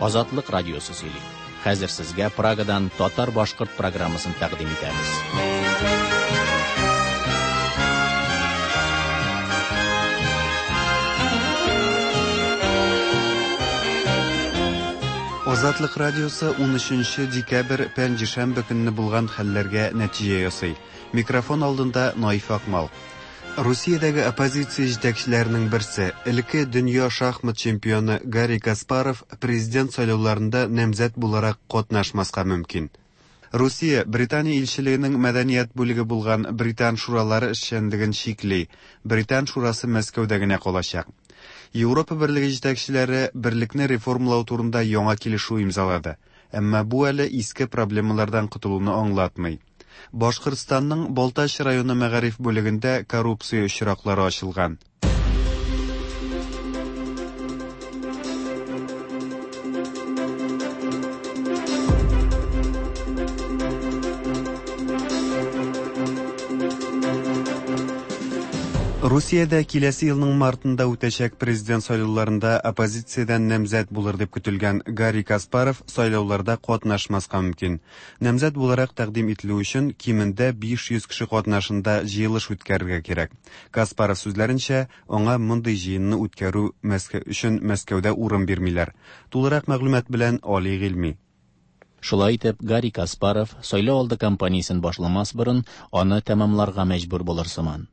Азатлык радиосы сөйли. Хәзер сезгә Прагадан татар-башкорт программасын тәкъдим итәбез. Азатлык радиосы 13 декабрь пәнҗешәмбе көнне булган хәлләргә нәтиҗә ясый. Микрофон алдында Наиф Акмал. Русиядәге оппозиция җитәкчеләренең берсе, элекке дөнья шахмат чемпионы Гарри Каспаров президент сайлауларында намзәт буларак катнашмаска мөмкин. Русия Британия илчелегенең мәдәният бүлеге булган Британ шуралары эшчәнлеген чикли. Британ шурасы Мәскәүдә генә калачак. Европа берлеге җитәкчеләре берлекне реформалау турында яңа килешү имзалады. Әмма бу әле иске проблемалардан котылуны аңлатмый. Башкортстанның Балтач районы мәгариф бүлегендә коррупция очраклары ачылган. Русиядә киләсе елның мартында үтәчәк президент сайлауларында оппозициядән намзәт булыр дип көтелгән Гарри Каспаров сайлауларда катнашмаска мөмкин. Намзәт буларак тәкъдим ителү өчен кимендә 500 кеше катнашында җыелыш үткәрергә кирәк. Каспаров сүзләренчә, аңа мондый җыенны үткәрү өчен Мәскәүдә урын бирмиләр. Тулырак мәгълүмат белән Али Гыйльми. Шулай итеп, Гарри Каспаров сайлау алды кампаниясен башламас борын аны тәмамларга мәҗбүр булыр сыман.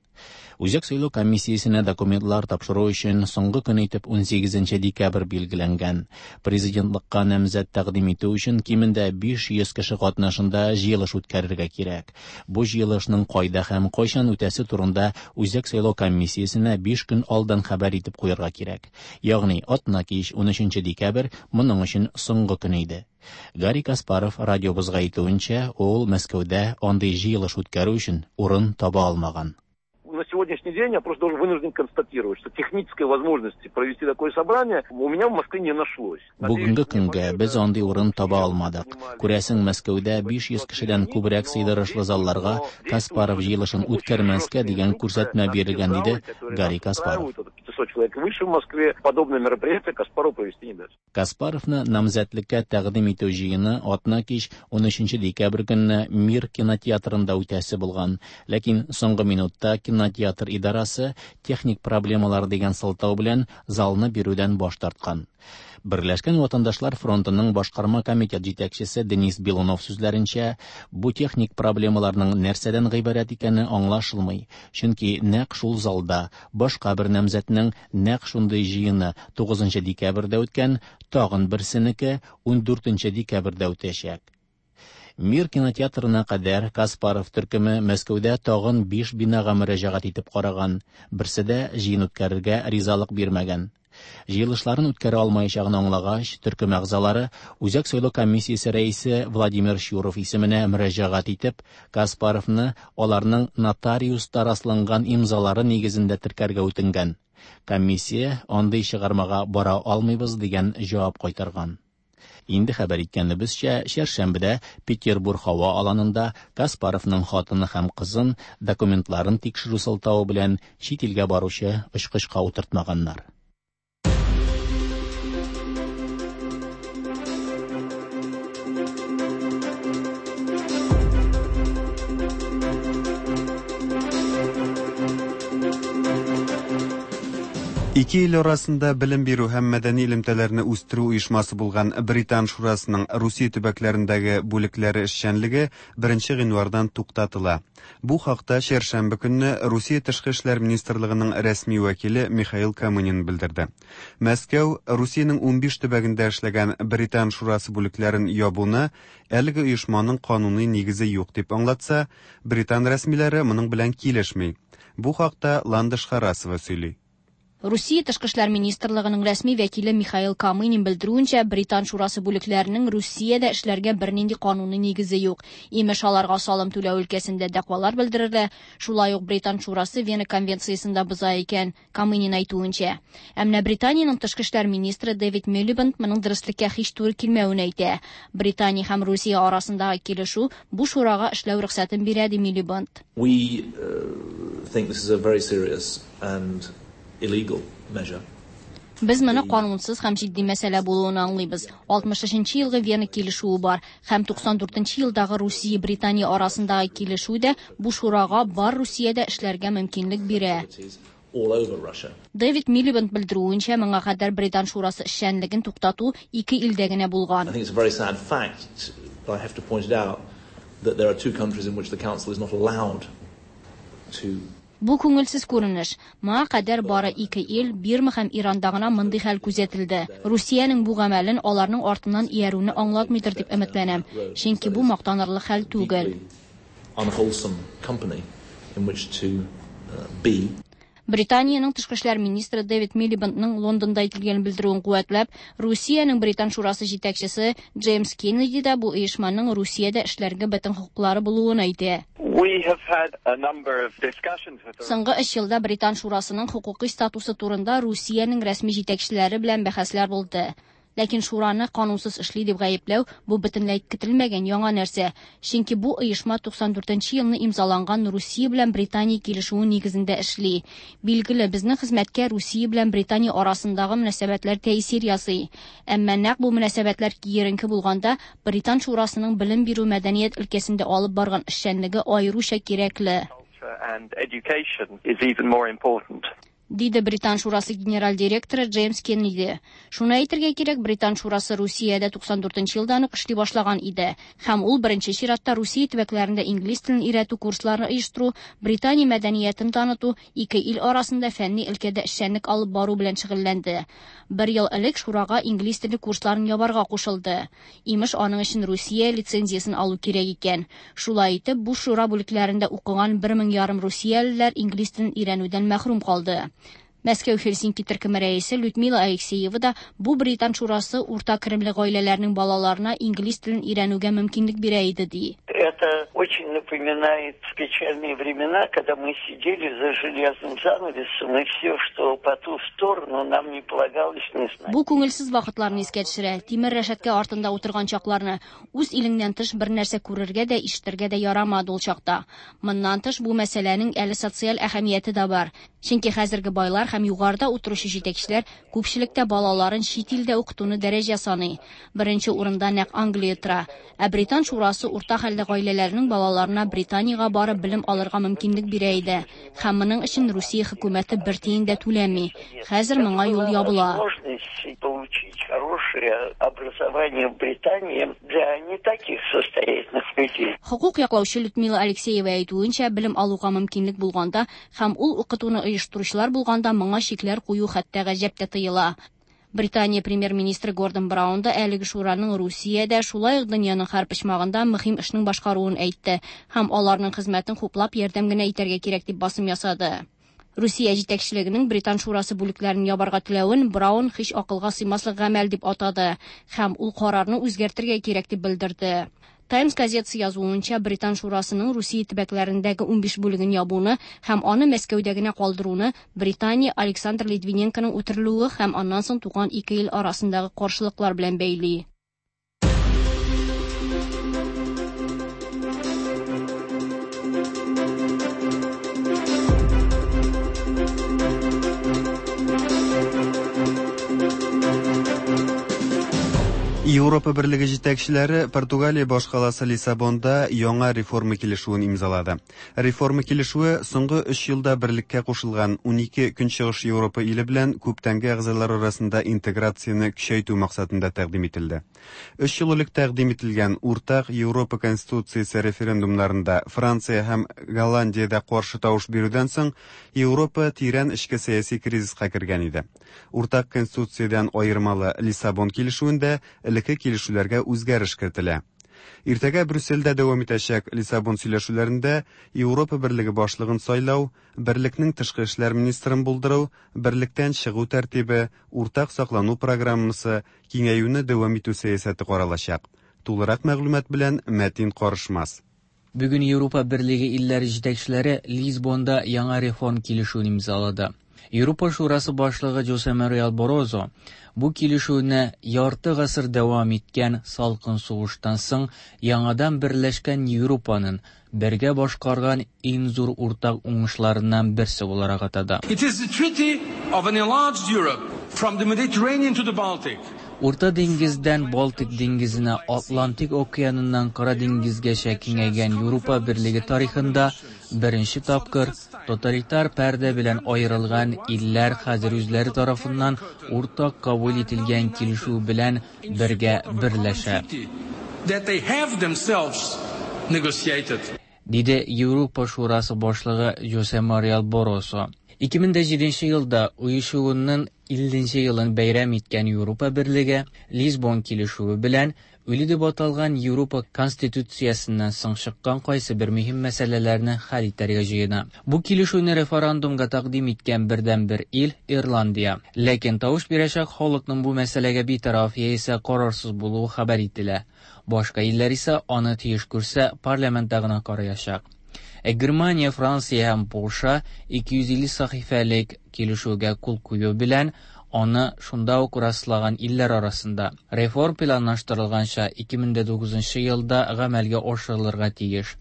Үзәк сайлау комиссиясенә документлар тапшыру өчен соңгы көн итеп 18 декабрь билгеләнгән. Президентлыкка намзәт тәкъдим итү өчен кимендә 500 кеше катнашында җыелыш үткәрергә кирәк. Бу җыелышның кайда һәм кайчан үтәсе турында Үзәк сайлау комиссиясенә 5 көн алдан хәбәр итеп куярга кирәк. Ягъни атна кич 13 декабрь моның өчен соңгы көн иде. Гарри Каспаров радиобызга әйтүенчә, ул Мәскәүдә андый җыелыш үткәрү өчен урын таба алмаган. На сегодняшний день я просто должен вынужден констатировать, что технической возможности провести такое собрание у меня в Москве не нашлось. Бүгенге көнгә без андый урын таба алмадык. Күрәсең, Мәскәүдә 500 кешедән күбрәк сыйдырышлы залларга Каспаров җыелышын үткәрмәскә дигән күрсәтмә бирелгән, диде Гарри Каспаров. 500 человек выше в Москве подобное мероприятие Каспаров провести не даст. Каспаровны намзәтлеккә тәкъдим итү җыены атна кич 13 декабрь көнне Мир кинотеатрында үтәсе булган. Ләкин соңгы минутта кинотеатр идарасы техник проблемалар дигән сылтау белән залны бирүдән баш тарткан. Берләшкән ватандашлар фронтының башкарма комитет җитәкчесе Денис Белунов сүзләренчә, бу техник проблемаларның нәрсәдән гыйбарәт икәне аңлашылмый, чөнки нәкъ шул залда башка бер намзәтнең нәкъ шундый җыены 9 декабрьдә үткән, тагын берсенеке 14 декабрьдә үтәчәк. Мир кинотеатрына кадәр Каспаров төркеме Мәскәүдә тагын 5 бинага мөрәҗәгать итеп караган, берсе дә җыен үткәрергә ризалык бирмәгән. Җыелышларын үткәрә алмаячагын аңлагач, төркем әгъзалары Үзәк сайлау комиссиясе рәисе Владимир Щуров исеменә мөрәҗәгать итеп, Каспаровны аларның нотариуста расланган имзалары нигезендә теркәргә үтенгән. Комиссия андый чыгармага бара алмыйбыз дигән җавап кайтарган. Инде хәбәр иткәнебезчә, чәршәмбедә Петербург һава аланында Каспаровның хатыны һәм кызын документларын тикшерү сылтавы белән чит илгә баручы очкычка утыртмаганнар. Ике ил арасында белем бирү һәм мәдәни элемтәләрне үстерү оешмасы булган Британ шурасының Русия төбәкләрендәге бүлекләре эшчәнлеге 1 гыйнвардан туктатыла. Бу хакта чәршәмбе көнне Русия тышкы эшләр министрлыгының рәсми вәкиле Михаил Камынин белдерде. Мәскәү Русиянең 15 төбәгендә эшләгән Британ шурасы бүлекләрен ябуны әлеге оешманың кануни нигезе юк дип аңлатса, британ рәсмиләре моның белән килешми. Бу хакта Ландыш Харасова сөйли. Русия тышкы эшләр министрлыгының рәсми вәкиле Михаил Камынин белдерүенчә, Британ шурасы бүлекләренең Русиядә эшләргә бернинди кануни нигезе юк. Имеш, аларга салым түләү өлкәсендә дәгъвалар белдерелә. Шулай ук Британ шурасы Вена конвенциясен дә боза икән, Камынин әйтүенчә. Ә менә Британиянең тышкы эшләр министры Дэвид Милибенд моның дөреслеккә һич туры килмәвен әйтә. Британия һәм Русия арасындагы килешү бу шурага эшләү рөхсәтен бирә, ди Милибенд. We think this is a very serious and illegal measure. Без моны канунсыз һәм җитди мәсьәлә булуын аңлыйбыз. 63 нче елгы Вена килешүе бар һәм 94 нчы елдагы Русия-Британия арасындагы килешү дә бу шурага бар Русиядә эшләргә мөмкинлек бирә. Дэвид Милибенд белдерүенчә, моңа кадәр Британ шурасы эшчәнлеген туктату ике илдә генә булган. Бу күңелсез күренеш. Моңа кадәр бары ике ил, Бирма һәм Иранда гына мондый хәл күзәтелде. Русиянең бу гамәлен аларның артыннан иярүне аңлатмыйдыр дип өметләнәм, чөнки бу мактанырлык хәл түгел. Британиянең тышкы эшләр министры Дэвид Милибендның Лондонда әйтелгән белдерүен куәтләп, Русиянең Британ шурасы җитәкчесе Джеймс Кеннеди да бу оешманың Русиядә эшләргә бөтен хокуклары булуын әйтә. Соңгы өч елда Британ шурасының хокукый статусы турында Русиянең рәсми җитәкчеләре белән бәхәсләр булды. Ләкин шураны канунсыз эшли дип гаепләү бу бөтенләй көтелмәгән яңа нәрсә, чөнки бу оешма 94 нче елны имзаланган Русия белән Британия килешүе нигезендә эшли. Билгеле, безнең хезмәткә Русия белән Британия арасындагы мөнәсәбәтләр тәэсир ясый. Әмма нәкъ бу мөнәсәбәтләр киеренке булганда, Британ шурасының белем бирү мәдәният өлкәсендә алып барган эшчәнлеге аеруча кирәкле. Диде Британ шурасы генераль директоры Джеймс Кеннеди. Шуны әйтергә кирәк, Британ шурасы Русиядә 94 нче елдан ук эшли башлаган иде. Һәм ул беренче чиратта Русия төбәкләрендә инглиз телен өйрәтү курсларын оештыру, Британия мәдәниятен таныту, ике ил арасында фәнни өлкәдә эшчәнлек алып бару белән шөгыльләнде. Бер ел элек шурага инглиз теле курсларын ябарга кушылды. Имеш, аның өчен Русия лицензиясен алу кирәк икән. Шулай итеп, бу шура бүлекләрендә укыган бер мең ярым русиялеләр инглиз телен өйрәнүдән мәхрүм калды. Мәскәү Хельсинки төркеме рәисе Людмила Алексеева да бу Британ шурасы урта керемле гаиләләрнең балаларына инглиз телен өйрәнүгә мөмкинлек бирә иде, ди. Это очень напоминает печальные времена, когда мы сидели за железным занавесом, и все, что по ту сторону, нам не полагалось не знать. Бу күңелсез вакытларны искә төшерә, тимер рәшәткә артында утырган чакларны. Үз илеңнән тыш бер нәрсә күрергә дә, ишетергә дә ярамады ул чакта. Моннан тыш, бу мәсьәләнең әле социаль әһәмияте дә бар. Чөнки хәзерге байлар һәм югарыда утыручы җитәкчеләр күпчелектә балаларын чит илдә укытуны дәрәҗә саный. Беренче урында нәкъ Англия тора. Ә Британ шурасы урта хәлле гаиләләрнең балаларына Британиягә барып белем алырга мөмкинлек бирә иде. Һәм моның өчен Русия хөкүмәте бер тиен дә түләми. Хәзер моңа юл ябыла. Возможность получить хорошее образование в Британии для не таких состоятельных людей. Хокук яклаучы Людмила Алексеева әйтүенчә, белем алуга мөмкинлек булганда һәм ул укытуны оештыручылар булганда моңа чикләр кую хәтта гаҗәп тә тыела. Британия премьер-министры Гордон Браун да әлеге шураның Русиядә, шулай ук дөньяның һәр почмагында мөһим эшнең башкаруын әйтте һәм аларның хезмәтен хуплап ярдәм генә итәргә кирәк дип басым ясады. Русия җитәкчелегенең Британ шурасы бүлекләрен ябарга теләвен Браун һич акылга сыймаслык гамәл дип атады һәм ул карарны үзгәртергә кирәк дип белдерде. Таймс газетасы язуынча, Британ шурасының Русия төбәкләрендәге 15 бүлеген ябуны һәм аны Мәскәүдә генә калдыруны Британия Александр Литвиненконың үтерелүе һәм аннан соң туган ике ил арасындагы каршылыклар белән бәйли. Европа берлеге җитәкчеләре Португалия башкаласы Лиссабонда яңа реформа килешүен имзалады. Реформа килешүе соңгы өч елда берлеккә кушылган 12 Көнчыгыш Европа иле белән күптәнге әгъзалар арасында интеграцияне көчәйтү максатында тәкъдим ителде. Өч ел элек тәкъдим ителгән уртак Европа Конституциясе референдумнарында Франция һәм Голландиядә каршы тавыш бирүдән соң Европа тирән эчке сәяси кризиска кергән иде. Уртак Конституциядән аермалы Лиссабон килешүендә элекке килешүләргә үзгәреш кертелә. Иртәгә Брюссельдә дәвам итәчәк Лиссабон сөйләшүләрендә Европа берлеге башлыгын сайлау, берлекнең тышкы эшләр министрын булдыру, берлектән чыгу тәртибе, уртак саклану программасы, киңәюне дәвам итү сәясәте каралачак. Тулырак мәгълүмат белән Мәтин Карышмас. Бүген Европа берлеге илләре җитәкчеләре Лисбонда яңа реформ килешүен имзалады. Европа Шурасы башлыгы Жосе Мануэль Баррозо бу килешүне ярты гасыр дәвам иткән салкын сугыштан соң яңадан берләшкән Европаның бергә башкарган иң зур уртак уңышларыннан берсе буларак атады. It is the treaty of an enlarged Europe. From the Mediterranean to the Baltic. Урта диңгездән Балтик диңгезенә, Атлантик океаныннан Кара диңгезгәчә киңәйгән Европа Берлеге тарихында беренче тапкыр тоталитар пәрдә белән аерылган илләр хәзер үзләре тарафыннан уртак кабул ителгән килешү белән бергә берләшә. That they have themselves negotiated. Диде Европа Шурасы башлыгы Жосе Мариэл Баррозо. 2007 елда оешуының 50 нче елын бәйрәм иткән Европа Берлеге Лисбон килешүе белән үле дип аталган Европа Конституциясеннән соң чыккан кайсыбер мөһим мәсьәләләрне хәл итәргә җыена. Бу килешүне референдумга тәкъдим иткән бердәнбер ил, Ирландия. Ләкин тавыш бирәчәк халыкның бу мәсьәләгә битараф яисә карарсыз булуы хәбәр ителә. Башка илләр исә аны тиеш күрсә, парламентта гына караячак. Ә Германия, Франция һәм Польша 250 сәхифәлек килешүгә кул кую белән аны шунда ук раслаган илләр арасында. Реформ планлаштырылганча 2009 елда гамәлгә ашырылырга тиеш.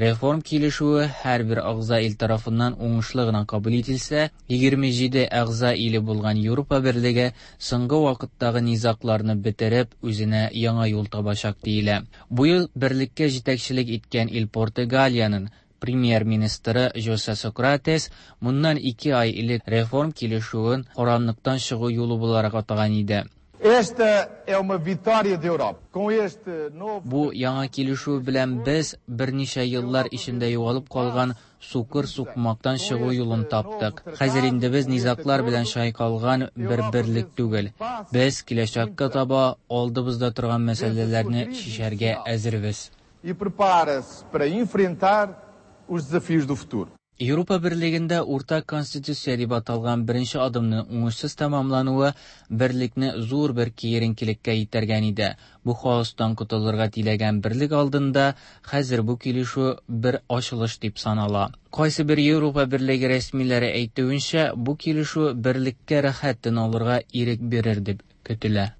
Реформ килешүе һәрбер әгъза ил тарафыннан уңышлы гына кабул ителсә, 27 әгъза иле булган Европа Берлеге соңгы вакыттагы низагларны бетереп, үзенә яңа юл табачак диелә. Бу ел берлеккә җитәкчелек иткән ил Португалиянең премьер-министры Жосе Сократес моннан ике ай элек реформ килешүен караңгылыктан чыгу юлы буларак атаган иде. Esta é uma vitória da Europa. Com este novo Бу яңа килешү белән без берничә еллар эчендә югалып калган сукыр сукмактан чыгу юлын таптык. Хәзер инде без низаглар белән чайкалган бер берлек түгел. Без киләчәккә таба алдыбызда торган мәсьәләләрне чишәргә әзербез. E prepara-se para enfrentar os desafios do futuro. Европа Берлегендә уртак конституция дип аталган беренче адымның уңышсыз тәмамлануы берлекне зур бер киеренкелеккә этәргән иде. Бу хаостан котылырга теләгән берлек алдында хәзер бу килешү бер ачылыш дип санала. Кайсы бер Европа Берлеге рәсмиләре әйтүенчә, бу килешү берлеккә рәхәт тын алырга ирек бирер дип көтелә.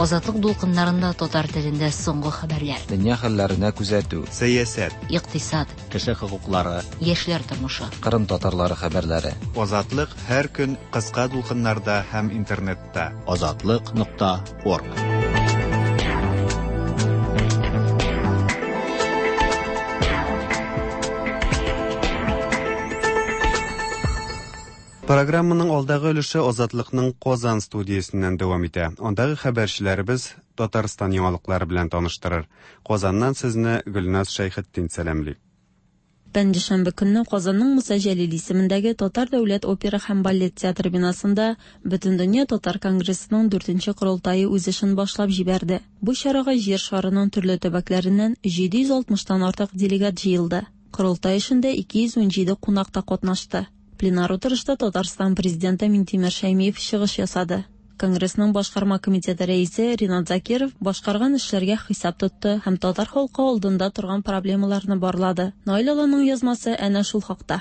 Азатлык дулкыннарында татар телендә соңгы хәбәрләр. Дөнья хәлләренә күзәтү. Сәясәт. Икътисад. Кеше хокуклары. Яшьләр тормышы. Кырым татарлары хәбәрләре. Азатлык һәр көн кыска дулкыннарда һәм интернетта. Азатлык нокта орг. Программаның алдагы өлеше Азатлыкның Казан студиясеннән дәвам итә. Андагы хәбәрчеләребез Татарстан яңалыклары белән таныштырыр. Казаннан сезне Гөлназ Шәйхетдин сәламли. Пәнҗешәмбе көнне Казанның Муса Җәлил исемендәге Татар дәүләт опера һәм балет театры бинасында Бөтендөнья татар конгрессының дүртенче корылтае үз эшен башлап җибәрде. Бу чарага җир шарының төрле төбәкләреннән 760тан артык делегат җыелды. Корылтай эшендә 217 кунак та катнашты. Пленар утырышта Татарстан президенты Минтимер Шәймиев чыгыш ясады. Конгрессның башкарма комитеты рәисе Ринат Закиров башкарган эшләргә хисап тотты һәм татар халкы алдында торган проблемаларны барлады. Наил Аланның язмасы әнә шул хакта.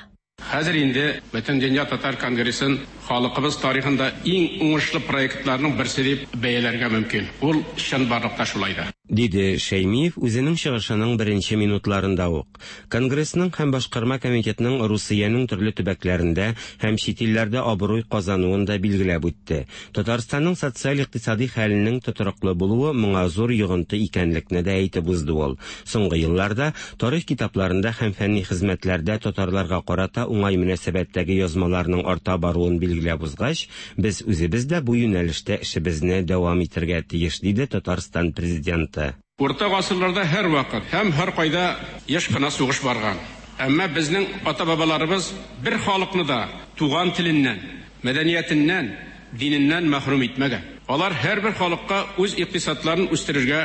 Хәзер инде Бөтендөнья татар конгрессын халкыбыз тарихында иң уңышлы проектларның берсе дип бәяләргә мөмкин. Ул чынбарлыкта шулай да. Диде Шәймиев үзенең чыгышының беренче минутларында ук. Конгрессның һәм башкарма комитетның Русиянең төрле төбәкләрендә һәм чит илләрдә абруй казануын да билгеләп үтте. Татарстанның социаль-икътисади хәленең тотрыклы булуы моңа зур йогынты икәнлекне дә әйтеп узды ул. Соңгы елларда тарих китапларында һәм фәнни хезмәтләрдә татарларга карата уңай мөнәсәбәттәге язмаларның арта баруын билгеләп узгач, без үзебез дә бу юнәлештә эшебезне дәвам итәргә тиеш, диде Татарстан президенты. Урта гасырларда һәр вакыт һәм һәр кайда еш кына сугыш барган. Әмма безнең ата-бабаларыбыз бер халыкны да туган теленнән, мәдәниятеннән, диненнән мәхрүм итмәгән. Алар һәрбер халыкка үз икътисадларын үстерергә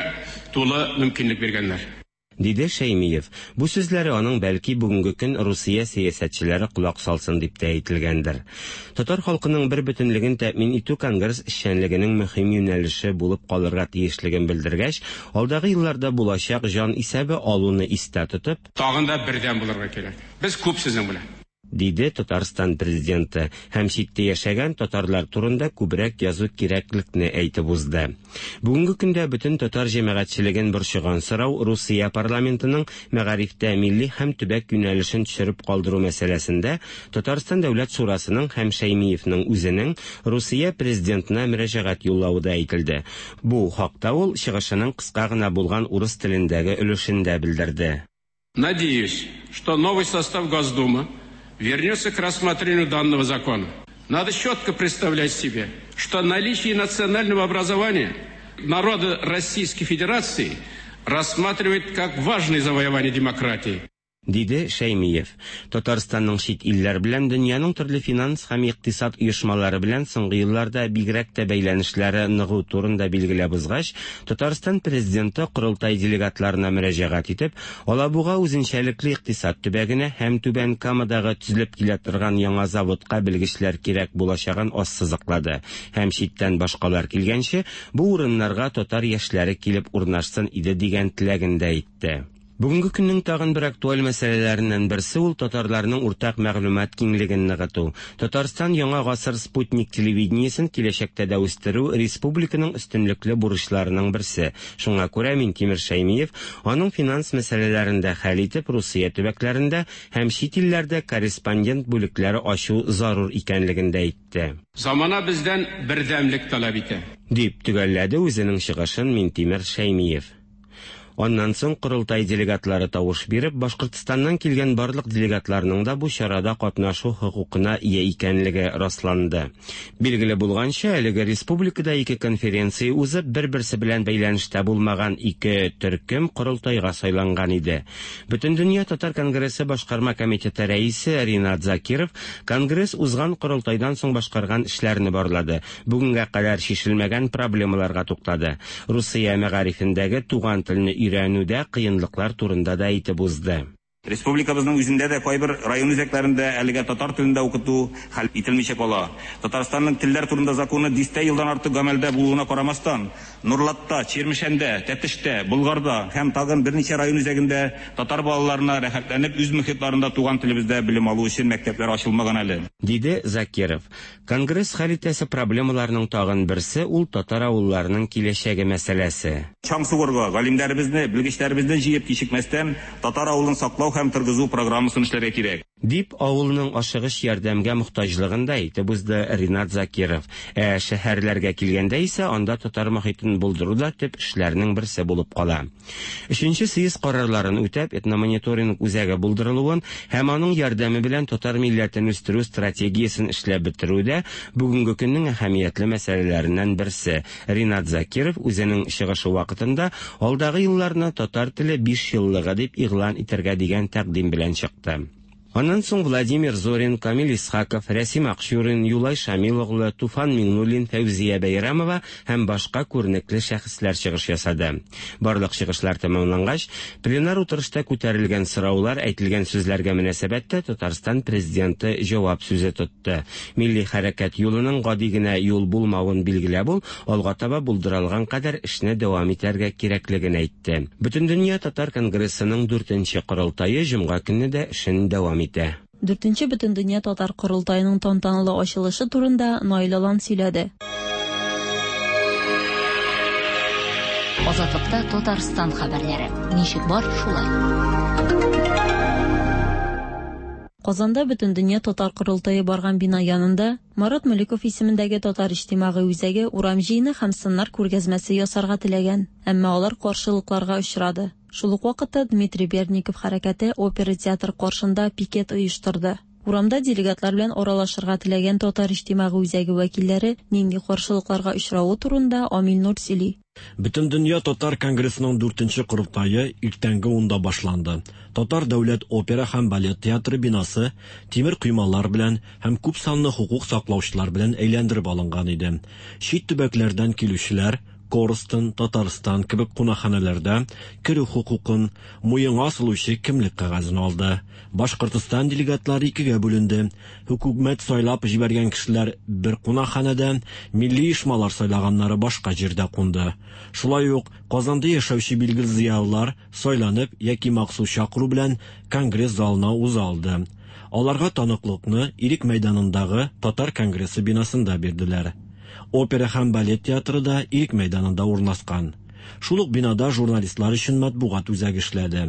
тулы мөмкинлек биргәннәр. Диде Шәймиев. Бу сүзләре аның бәлки бүгенге көн Русия сәясәтчеләре колак салсын дип тә әйтелгәндер. Татар халкының бер бөтенлеген тәэмин итү конгресс эшчәнлегенең мөһим юнәлеше булып калырга тиешлеген белдергәч, алдагы елларда булачак җан исәбе алуны истә тотып, тагын да бердәм булырга кирәк. Без күп сезнең белән. диде Татарстан Президенты һәм читтә яшәгән татарлар турында күбрәк язу кирәклекне әйтеп узды. Бүгенге көндә бөтен татар җәмәгатьчелеген борчыган сорау Русия парламентының мәгарифтә милли һәм төбәк юнәлешен төшереп калдыру мәсьәләсендә Татарстан Дәүләт Шурасының һәм Шәймиевнең үзенең Русия Президентына мөрәҗәгать юллавы да әйтелде. Бу хакта ул чыгышының кыска гына булган урыс телендәге өлешендә белдерде. Надеюсь, что новый состав Госдумы вернется к рассмотрению данного закона. Надо четко представлять себе, что наличие национального образования народа Российской Федерации рассматривает как важное завоевание демократии. Диде Шәймиев. Татарстанның чит илләр белән, дөньяның төрле финанс һәм икътисад оешмалары белән соңгы елларда бигрәк тә бәйләнешләре ныгу турында билгеләп узгач, Татарстан Президенты корылтай делегатларына мөрәҗәгать итеп, Алабуга үзенчәлекле икътисад төбәгенә һәм Түбән Камадагы төзелеп килә торган яңа заводка белгечләр кирәк булачагын ассызыклады һәм читтән башкалар килгәнче, бу урыннарга татар яшьләре килеп урнашсын иде дигән теләген дә әйтте. Бүгенге көннең тагын бер актуаль мәсьәләләреннән берсе ул татарларның уртак мәгълүмат киңлеген ныгыту. Татарстан Яңа гасыр спутник телевидениесен киләчәктә дә үстерү республиканың өстенлекле бурычларының берсе. Шуңа күрә Минтимер Шәймиев аның финанс мәсьәләләрен дә хәл итеп, Русия төбәкләрендә һәм чит илләрдә корреспондент бүлекләре ачу зарур икәнлеген дә әйтте. Замана бездән бердәмлек таләп итә. Дип төгәлләде үзенең чыгышын Минтимер Шәймиев. Аннан соң корылтай делегатлары тавыш биреп, Башкортстаннан килгән барлык делегатларның да бу чарада катнашу хокукына ия икәнлеге расланды. Билгеле булганча, әлеге республикада ике конференция узып, бер-берсе белән бәйләнештә булмаган ике төркем корылтайга сайланган иде. Бөтендөнья татар конгрессы башкарма комитеты рәисе Ринат Закиров конгресс узган корылтайдан соң башкарган эшләрне барлады, бүгенгә кадәр чишелмәгән проблемаларга туктады. Русия мәгарифендәге туган телне өйрәнүдә кыенлыклар турында да әйтеп узды. Республикабызның үзендә дә кайбер район үзәкләрендә әлегә татар телендә укыту хәл ителмичә кала. Татарстанның телләр турында законы дистә елдан артык гамәлдә булуына карамастан, Нурлатта, Чирмешәндә, Тәтештә, Болгарда һәм тагын берничә район үзәгендә татар балаларына рәхәтләнеп үз мөхитларында туган телебездә белем алу өчен мәктәпләр ачылмаган әле. Диде Закиров. Конгресс хәл итәсе проблемаларның тагын берсе ул татар авылларының киләчәге мәсьәләсе. Чаң сугарга, галимнәребезне, белгечләребезне җыеп кичекмәстән татар авылын саклау һәм торгызу программасын эшләргә кирәк. Дип, авылның ашыгыч ярдәмгә мохтаҗлыгын да әйтеп узды Ринат Закиров. Ә шәһәрләргә килгәндә исә, анда татар мохитен булдыру да төп эшләрнең берсе булып кала. Өченче съезд карарларын үтәп, этномониторинг үзәге булдырылуын һәм аның ярдәме белән татар милләтен үстерү стратегиясен эшләп бетерү дә бүгенге көннең әһәмиятле мәсьәләләреннән берсе. Ринат Закиров үзенең чыгышы вакытында алдагы елларны татар теле бишьеллыгы дип игълан итәргә дигән тәкъдим белән чыкты. Аннан соң Владимир Зорин, Камил Исхаков, Рәсим Акчурин, Юлай Шамил оглы, Туфан Миңнуллин, Фәүзия Бәйрәмова һәм башка күренекле шәхесләр чыгыш ясады. Барлык чыгышлар тәмамлангач, пленар утырышта күтәрелгән сораулар, әйтелгән сүзләргә мөнәсәбәттә Татарстан Президенты җавап сүзе тотты. Милли хәрәкәт юлының гади генә юл булмавын билгеләп ул, алга таба булдыралган кадәр эшне дәвам итәргә кирәклеген әйтте. Бөтендөнья татар конгрессының дүртенче корылтае җомга көнне дә эшен дәвам итә. Дүртенче Бөтендөнья татар корылтаеның тантаналы ачылышы турында Наил Алан сөйләде. Азатлыкта Татарстан хәбәрләре. Ничек бар, шулай. Казанда Бөтендөнья татар корылтае барган бина янында Марат Мөлеков исемендәге Татар иҗтимагый үзәге урам җыены һәм сыннар күргәзмәсе ясарга теләгән, әмма алар каршылыкларга очрады. Шул ук вакытта Дмитрий Бердников хәрәкәте опера театры каршында пикет оештырды. Урамда делегатлар белән аралашырга теләгән Татар иҗтимагый үзәге вәкилләре нинди каршылыкларга очравы турында Амил Нур сөйли. Бөтендөнья татар конгрессының дүртенче корылтае иртәнге унда башланды. Татар дәүләт опера һәм балет театры бинасы тимер коймалар белән һәм күп санлы хокук саклаучылар белән әйләндереп алынган иде. Чит төбәкләрдән килүчеләр Корстон, Татарстан кебек кунакханәләрдә керү хокукын, муенга асылучы кемлек кәгазен алды. Башкортстан делегатлары икегә бүленде. Хөкүмәт сайлап җибәргән кешеләр бер кунакханәдә, милли оешмалар сайлаганнары башка җирдә кунды. Шулай ук Казанда яшәүче билгеле зыялылар сайланып яки махсус чакыру белән конгресс залына уза алды. Аларга таныклыкны Ирек мәйданындагы Татар конгрессы бинасында бирделәр. Опера һәм балет театры да Ирек мәйданында урнашкан. Шул ук бинада журналистлар өчен матбугат үзәге эшләде.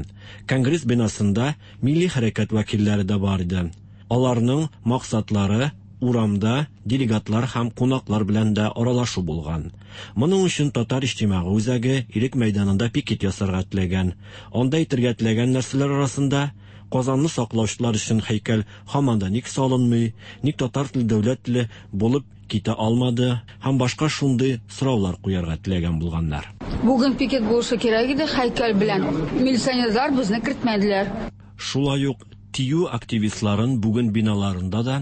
Конгресс бинасында милли хәрәкәт вәкилләре дә бар иде. Аларның максатлары урамда делегатлар һәм кунаклар белән дә аралашу булган. Моның өчен Татар иҗтимагый үзәге Ирек мәйданында пикет ясарга теләгән. Анда әйтергә теләгән нәрсәләр арасында Казанны саклаучылар өчен һәйкәл һаман да ник салынмый, ник татар теле дәүләт теле булып китә алмады һәм башка шундый сораулар куярга теләгән булганнар. Бүген пикет булышы кирәк иде һәйкәл белән. Милиционерлар безне кертмәделәр. Шулай ук ТИҮ активистларын бүген биналарында да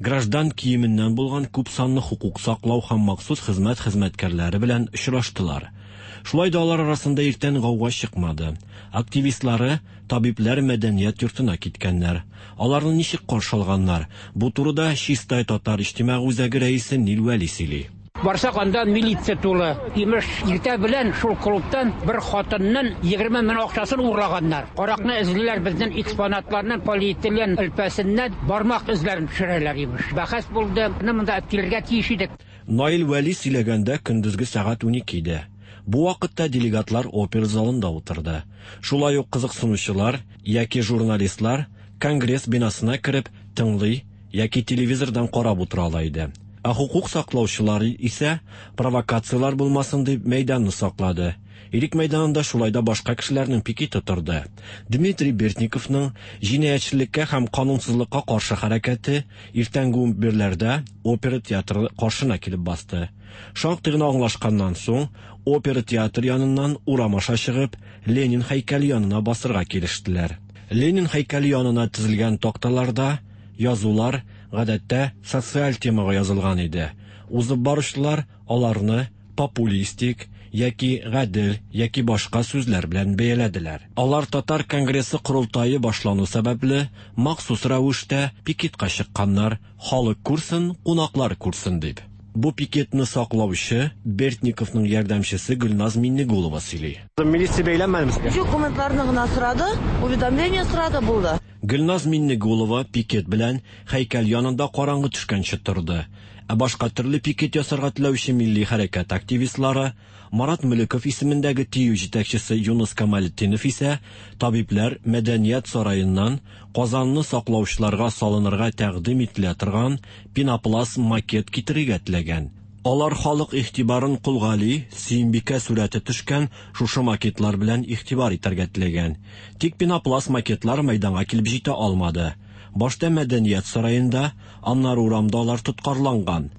граждан киеменнән булган күп санлы хокук саклау һәм махсус хезмәт хезмәткәрләре белән очраштылар. Шулай да алар арасында иртән гауга чыкмады. Активистлары табибләр мәдәният йортына киткәннәр. Аларны ничек каршы алганнар? Бу турыда Чистай татар иҗтимагый үзәге рәисе Нил Вәли сөйли. Барсак анда милиция тулы. Имеш, иртә белән шул клубтан бер хатынның 20 мең акчасын урлаганнар. Каракны эзлиләр, безнең экспонатларны полиэтилен элпәсеннән бармак эзләрен төшерәләр имеш. Бәхәс булды. Монда килергә тиеш идек. Наил Вәли сөйләгәндә көндезге сәгать 12 иде. Бу вакытта делегатлар опера залында утырды. Шулай ук кызыксынучылар яки журналистлар конгресс бинасына кереп тыңлый яки телевизордан карап утыра ала иде. Ә хокук саклаучылар исә провокациялар булмасын дип мәйданны саклады. Ирек мәйданында шулай да башка кешеләрнең пикеты торды. Дмитрий Бертниковның җинаятьчелеккә һәм канунсызлыкка каршы хәрәкәте иртәнге 11-ләрдә опера театры каршына килеп басты. Шактый гына аңлашканнан соң, опера театр яныннан урам аша чыгып, Ленин һәйкәле янына басырга килештеләр. Ленин һәйкәле янына тезелгән такталарда язулар гадәттә социаль темага язылган иде. Узып баручылар аларны популистик яки гадел яки башка сүзләр белән бәяләделәр. Алар Татар конгрессы корылтае башлану сәбәпле махсус рәвештә пикетка чыкканнар, халык күрсен, кунаклар күрсен дип. Бу пикетны саклаучы Бертниковның ярдәмчесе Гөлназ Миннегулова сөйли. Милиция бәйләнмәдеме сезгә? Документларны гына сорады, уведомление сорады, булды. Гөлназ Миннегулова пикет белән һәйкәл янында караңгы төшкәнче торды. Ә башка төрле пикет ясарга теләүче милли хәрәкәт активистлары Марат Мөлеков исемендәге ТИҮ җитәкчесе Юныс Камалетдинов исә табибләр мәдәният сараеннан Казанны саклаучыларга салынырга тәкъдим ителә торган пенопласт макет китерергә теләгән. Алар халык игътибарын Кол Гали, Сөембикә сурәте төшкән шушы макетлар белән игътибар итәргә теләгән. Тик пенопласт макетлар мәйданга килеп җитә алмады. Башта мәдәният сараенда, аннары урамда алар тоткарланган.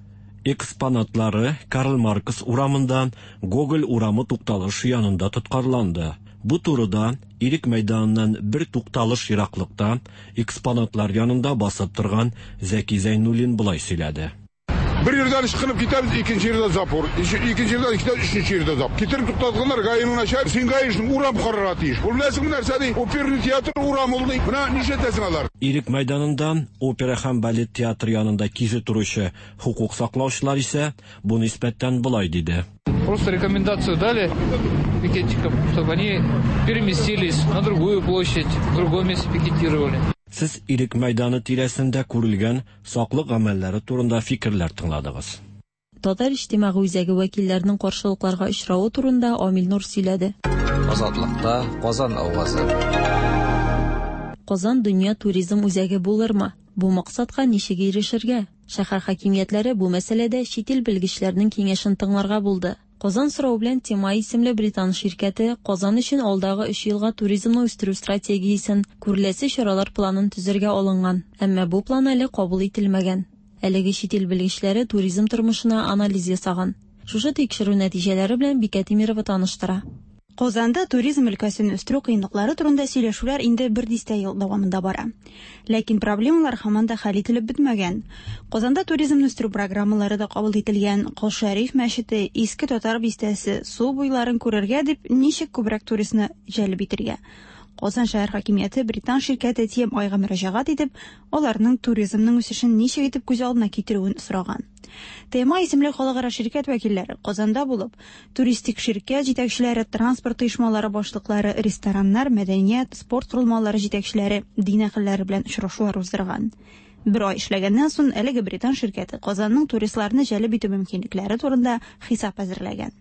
Экспонатлары Карл Маркс урамында, Гоголь урамы тукталышы янында тоткарланды. Бу турыда Ирек мәйданыннан бер тукталыш ераклыкта экспонатлар янында басып торган Зәки Зәйнуллин болай сөйләде. Бер ердән ычкынып китәбез, икенче ердә запор. Икенче ердән китәбез, өченче ердә запор. Китереп туктатканнар ГАИның начальник, син ГАИшның урам карарга тиеш. Ул беләсеңме нәрсә ди? Оперный театр урам ул ди. Менә нишләтәсең алар? Ирек мәйданында опера һәм балет театры янында кизү торучы хокук саклаучылар исә бу нисбәттән болай диде. Просто рекомендацию дали пикетчикам, чтобы они переместились на другую площадь, в другом месте пикетировали. Сез Ирек мәйданы тирәсендә күрелгән саклык гамәлләре турында фикерләр тыңладыгыз. Татар иҗтимагый үзәге вәкилләренең каршылыкларга очравы турында Амил Нур сөйләде. Азатлыкта Казан авазы. Казан дөнья туризм үзәге булырмы? Бу максатка ничек ирешергә? Шәһәр хакимиятләре бу мәсьәләдә чит ил белгечләренең киңәшен тыңларга булды. Казан соравы белән Тема исемле британ ширкәте Казан өчен алдагы 3 елга туризмны үстерү стратегиясен, күреләсе чаралар планын төзергә алынган. Әмма бу план әле кабул ителмәгән. Әлеге чит ил белгечләре туризм тормышына анализ ясаган. Шушы тикшерү нәтиҗәләре белән Бикә Тимирова таныштыра. Казанда туризм өлкәсен үстерү кыенлыклары турында сөйләшүләр инде бер дистә ел дәвамында бара. Ләкин проблемалар һаман да хәл ителеп бетмәгән. Казанда туризмны үстерү программалары да кабул ителгән. Кол Шәриф мәчете, Иске Татар бистәсе, су буйларын күрергә дип ничек күбрәк туристны җәлеп итергә. Казан шәһәр хакимияте британ ширкәте TMI-га мөрәҗәгать итеп, аларның туризмның үсешен ничек итеп күз алдына китерүен сораган. TMI исемле халыкара ширкәт вәкилләре Казанда булып, туристик ширкәт җитәкчеләре, транспорт оешмалары башлыклары, рестораннар, мәдәният, спорт корылмалары җитәкчеләре, дин әһелләре белән очрашулар уздырган. Бер ай эшләгәннән соң әлеге британ ширкәте Казанның туристларны җәлеп итү мөмкинлекләре турында хисап әзерләгән.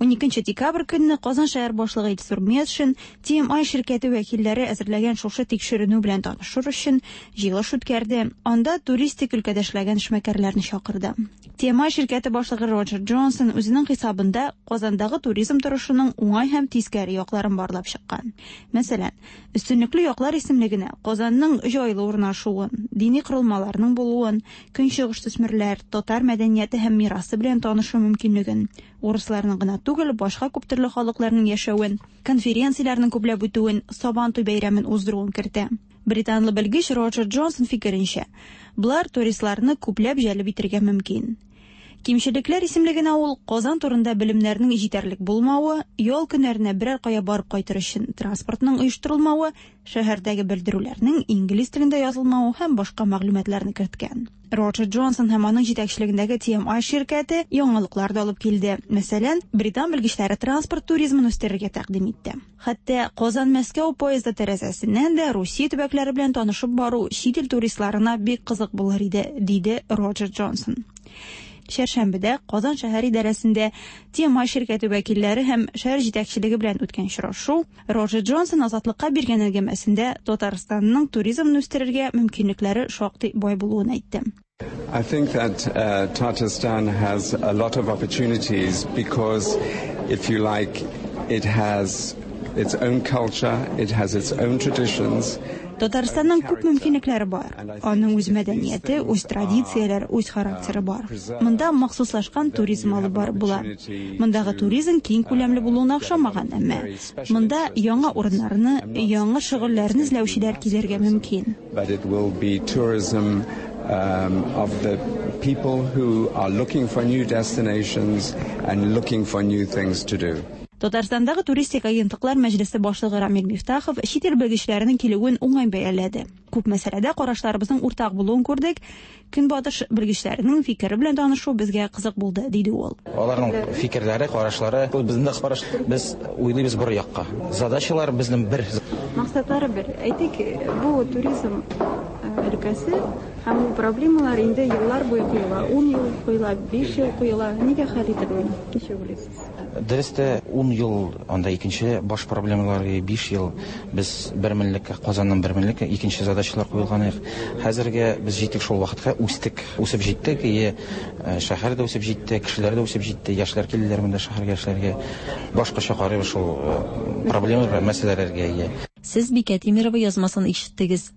12 декабрь көнне Казан шәһәр башлыгы Илсур Метшин TMI ширкәте вәкилләре әзерләгән шушы тикшеренү белән танышыр өчен җыелыш үткәрде. Анда туристик өлкәдә эшләгән эшмәкәрләрне чакырды. TMI ширкәте башлыгы Роджер Джонсон үзенең хисабында Казандагы туризм торышының уңай һәм тискәре якларын барлап чыккан. Мәсәлән, өстенлекле яклар исемлегенә Казанның җайлы урнашуын, дини корылмаларның булуын, көнчыгыш төсмерләр, татар мәдәнияте һәм мирасы белән танышу мөмкинлеген, урысларның гына түгел, башка күптөрле халыкларның яшәвен, конференцияләрнең күпләп үтүен, Сабантуй бәйрәмен уздыруын кертә. Британлы белгеч Роджер Джонсон фикеренчә, болар туристларны күпләп җәлеп итергә мөмкин. Кимчелекләр исемлегенә ул Казан турында белемнәрнең җитәрлек булмавы, ял көннәренә берәр кая барып кайтыр өчен транспортның оештырылмавы, шәһәрдәге белдерүләрнең инглиз телендә язылмавы һәм башка мәгълүматларны керткән. Роджер Джонсон һәм аның җитәкчелегендәге TMI ширкәте яңалыклар да алып килде. Мәсәлән, британ белгечләре транспорт туризмын үстерергә тәкъдим итте. Хәтта Казан-Мәскәү поезды тәрәзәсеннән дә Русия төбәкләре белән танышып бару чит ил туристларына бик кызык булыр иде, диде Роджер Джонсон. Чәршәмбедә Казан шәһәр идарәсендә TMI ширкәте вәкилләре һәм шәһәр җитәкчелеге белән үткән очрашу Роджер Джонсон Азатлыкка биргән әңгәмәсендә Татарстанның туризмны үстерергә мөмкинлекләре шактый бай булуын әйтте. I think that Tatarstan has a lot of opportunities because, if you like, it has its own culture, it has its own traditions. Татарстанның күп мөмкинлекләре бар. Аның үз мәдәнияте, үз традицияләре, үз характеры бар. Монда махсуслашкан туризм алып барып була. Мондагы туризм киң күләмле булуына охшамаган, әмма монда яңа урыннарны, яңа шөгыльләрне эзләүчеләр килергә мөмкин. But it will be tourism of the people who are looking for new destinations and looking for new things to do. Татарстандагы туристик агентлыклар мәҗлесе башлыгы Рамил Мифтахов чит ил белгечләренең килүен уңай бәяләде. Күп мәсьәләдә карашларыбызның уртак булуын күрдек. Көнбатыш белгечләренең фикере белән танышу безгә кызык булды, диде ул. Аларның фикерләре, карашлары, ул безнең дә караш, без уйлыйбыз бер якка. Задачалар безнең бер. Максатлары бер. Әйтик, бу туризм өлкәсе һәм ул проблемалар инде еллар буе куела. 10 ел куела, 5 ел куела. Нигә хәл ителми? Ничек уйлыйсыз? Дөрестә 10 ел анда икенче баш проблемалар, 5 ел без бер меңлеккә, Казаннан бер меңлеккә икенче задачалар куелган иде. Хәзергә без җиттек шул вакытка, үстек, үсеп җиттек, и шәһәр дә үсеп җитте, кешеләр дә үсеп җитте, яшьләр килделәр монда шәһәргә эшләргә. Башкача карыйбыз шул проблемалар, мәсьәләләргә. Ие. Сез Бикә Тимирова язмасын ишеттегез.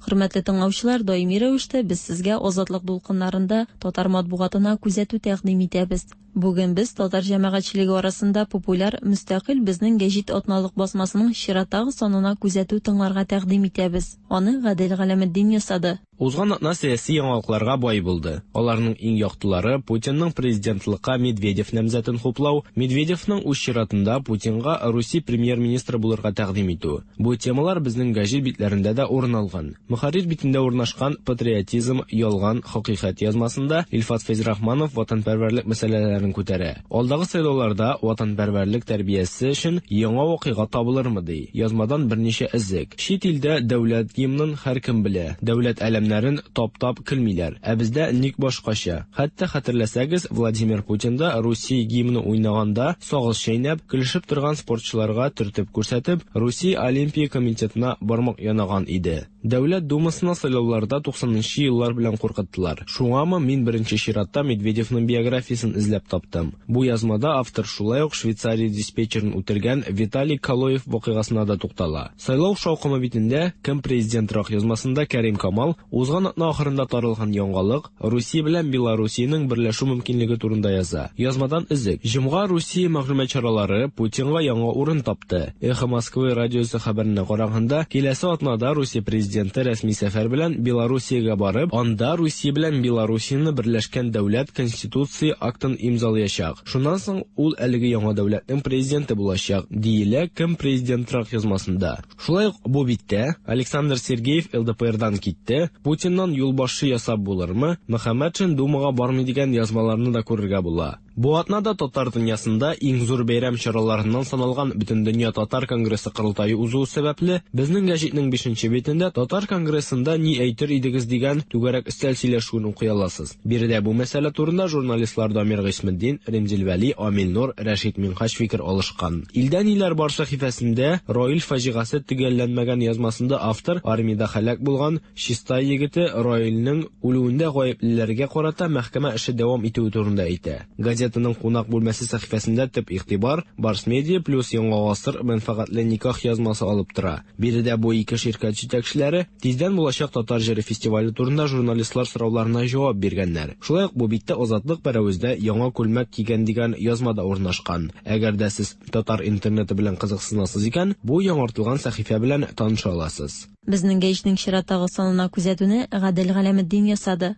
Хөрмәтле тыңлаучылар, даими рәвештә без сезгә Азатлык дулкыннарында татар матбугатына күзәтү тәкъдим итәбез. Бүген без татар җәмәгатьчелеге арасында популяр Мөстәкыйль безнең гәҗит атналык басмасының чираттагы санына күзәтү тыңларга тәкъдим итәбез. Аны Гадел Галәметдин ясады. Узган атна сәяси яңалыкларга бай булды. Аларның иң яктылары Путинның президентлыкка Медведев намзәтен хуплау, Медведевның үз чиратында Путинга Русия премьер-министры булырга тәкъдим итү. Бу темалар безнең гәҗит битләрендә дә урын алган. Мөхәррир битендә урнашкан Патриотизм, ялган, хакыйкать язмасында Илфат Фәйзрахманов ватанпәрвәрлек мәсьәләләрен күтәрә. Алдагы сайлауларда ватанпәрвәрлек тәрбиясе өчен яңа вакыйга табылырмы ди. Язмадан берничә эзек. Чит илдә дәүләт гимнын һәркем белә. Дәүләт әләмнәрен таптап көлмиләр. Ә бездә ник башкача? Хәтта хәтерләсәгез, Владимир Путин да Русия гимны уйнаганда сагыз чәйнәп, көлешеп торган спортчыларга төртеп күрсәтеп, Русия Олимпия комитетына бармак янаган иде. Дәүләт Думасына сайлауларда 90нчы еллар белән куркыттылар. Шуңамы мин беренче чиратта Медведевның биографиясен эзләп таптым. Бу язмада автор шулай ук Швейцария диспетчерын үтергән Виталий Калоев вакыйгасына да туктала. Сайлау шаукымы битендә кем президентрак язмасында Кәрим Камал Узган атна ахырында таралган яңалык Русия белән Белоруссиянең берләшү мөмкинлеге турында яза. Язмадан өзек. Җомга Русия мәгълүмат чаралары Путинга яңа урын тапты. Эхо Москвы радиосы хәбәренә караганда, киләсе атнада Русия президенты рәсми сәфәр белән Белоруссиягә барып, анда Русия белән Белоруссияне берләшкән дәүләт конституция актын имзалаячак. Шуннан соң ул әлеге яңа дәүләтнең президенты булачак, диелә Кем президентрак язмасында. Шулай ук бу биттә Александр Сергеев ЛДПРдан китте, Путиннан юлбашчы ясап булырмы, Мөхәммәтшин Думага бармый дигән язмаларны да күрергә була. Бу атнада татар дөньясында иң зур бәйрәм чараларыннан саналган Бөтендөнья татар конгрессы корылтае узуы сәбәпле, безнең гәҗитнең бишенче битендә Татар конгрессында ни әйтер идегез дигән түгәрәк өстәл сөйләшүен укый аласыз. Биредә бу мәсьәлә турында журналистлар Дамир Гыйсметдин, Римзил Вәли, Амил Нур, Рәшит Минһаҗ фикер алышкан. Илдә ниләр бар сәхифәсендә Раил фаҗигасе төгәлләнмәгән язмасында автор армиядә һәлак булган Чистай егете Раилнең үлүендә гаеплеләргә карата мәхкәмә эше дәвам итүе турында әйтә. Газетаның Кунак бүлмәсе сәхифәсендә төп игътибар Барс-Медиа плюс Яңа гасыр мәнфәгатьле никах язмасы алып тора. Биредә бу ике ширкәт җитәкчеләре тиздән булачак Татар җыры фестивале турында журналистлар сорауларына җавап биргәннәр. Шулай ук бу биттә Азатлык пәрәвездә яңа күлмәк кигән дигән язма да урнашкан. Әгәр дә сез татар интернеты белән кызыксынасыз икән, бу яңартылган сәхифә белән таныша аласыз. Безнең гәҗитнең чираттагы санына күзәтүне Гадел Галәметдин ясады.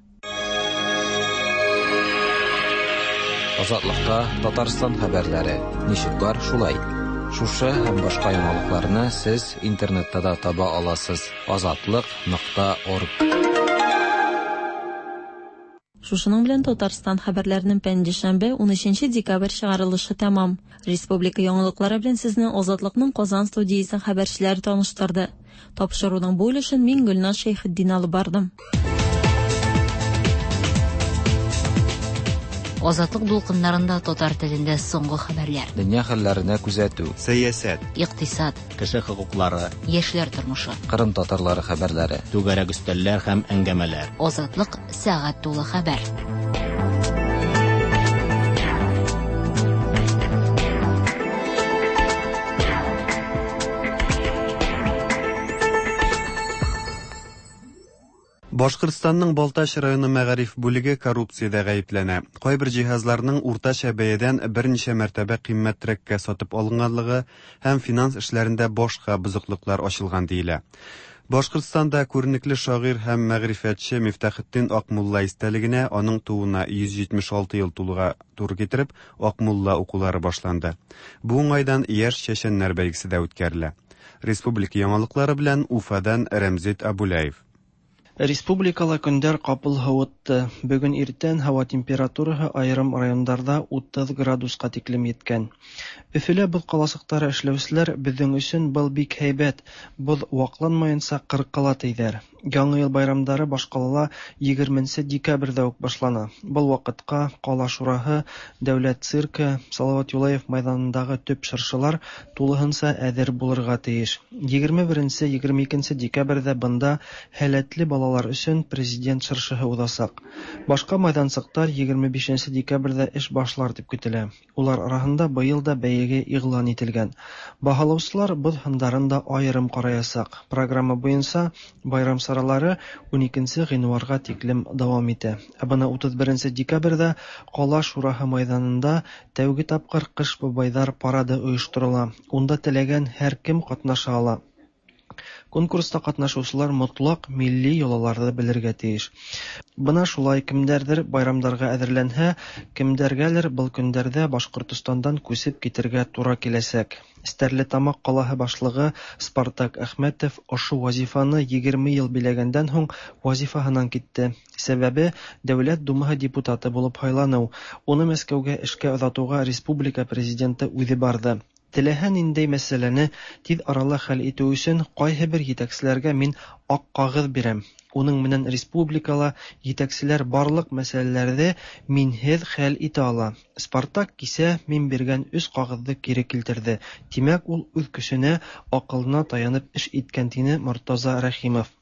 Азатлыкта Татарстан хәбәрләре ничек бар, шулай. Шушы һәм башка яңалыкларны сез интернетта да таба аласыз: азатлык.орг. Шушының белән Татарстан хәбәрләренең пәнҗешәмбе, 13 декабрь чыгарылышы тәмам. Республика яңалыклары белән сезне Азатлыкның Казан студиясе хәбәрчеләре таныштырды. Тапшыруның бу өлешен мин Гөлназ Шәйхетдин алып бардым. Азатлык дулкыннарында татар телендә соңгы хәбәрләр. Дөнья хәлләренә күзәтү. Сәясәт. Икътисад. Кеше хокуклары. Яшьләр тормышы. Кырым татарлары хәбәрләре. Түгәрәк өстәлләр һәм әңгәмәләр. Азатлык сәгать тулы хәбәр. Башкортстанның Балтач районы мәгариф бүлеге коррупциядә гаепләнә. Кайбер җиһазларның уртача бәядән берничә мәртәбә кыйммәтрәккә сатып алынганлыгы һәм финанс эшләрендә башка бозыклыклар ачылган диелә. Башкортстанда күренекле шагыйрь һәм мәгърифәтче Мифтахетдин Акмулла истәлегенә аның тууына 176 ел тулуга туры китереп, Акмулла укулары башланды. Бу уңайдан яшь чәчәннәр бәйгесе дә үткәрелә. Республика яңалыклары белән Уфадан Рәмзит Абуляев. Республикала көндәр капыл һавытты. Бүген иртән һава температураһы аерым райондарда 30 градуска тиклем еткән. Өфөлә боз каласыктары эшләүселәр безнең өчен был бик һәйбәт, боз вакланмаенча кыркыла тейҙәр. Яңа ел байрамдары башҡалала 20 декабрҙә үк башлана. Был ваҡытҡа ҡала шураһы, дәүләт циркы, Салават Юлаев майҙанындағы төп шыршылар тулыһынса әҙер булырға тейеш. 21-22 декабрҙә бында һәләтле балалар өсөн президент шыршыһы уҙасаҡ. Башҡа майҙансыҡтар 25 декабрҙә эш башлар тип көтөлә. Улар араһында быйыл да бәйге иғлан ителгән. Баһалаусылар боҙ һындарын да айырым ҡараясаҡ. Программа буйынса байрам саралары 12 ғинуарға тиклем дауам итә. Ә бына 31 декабрҙә ҡала шураһы майҙанында тәүге тапҡыр Ҡыш бабайҙар парады ойошторола. Унда теләгән һәр кем ҡатнаша ала. Конкурста ҡатнашыусылар мотлаҡ милли йолаларҙы белергә тейеш. Бына шулай кемдәрҙер байрамдарға әҙерләнһә, кемдәргәлер был көндәрҙә Башҡортостандан күсеп китергә тура киләсәк. Стәрлетамаҡ ҡалаһы башлығы Спартак Әхмәтов ошо вазифаны 20 йыл биләгәндән һуң вазифаһынан китте. Сәбәбе Дәүләт Думаһы депутаты булып һайланыу. Уны Мәскәүгә эшкә оҙатыуға республика президенты үҙе барҙы. Теләһә ниндәй мәсьәләне тиҙ арала хәл итеү өсөн ҡайһы бер етәкселәргә мин аҡ ҡағыҙ бирәм. Уның менән республикала етәкселәр барлыҡ мәсьәләләрҙе минһеҙ хәл итә ала. Спартак кисә мин биргән өс ҡағыҙҙы кире килтерҙе. Тимәк, ул үҙ көсөнә, аҡылына таянып эш иткән, тине Мортаза Рәхимов.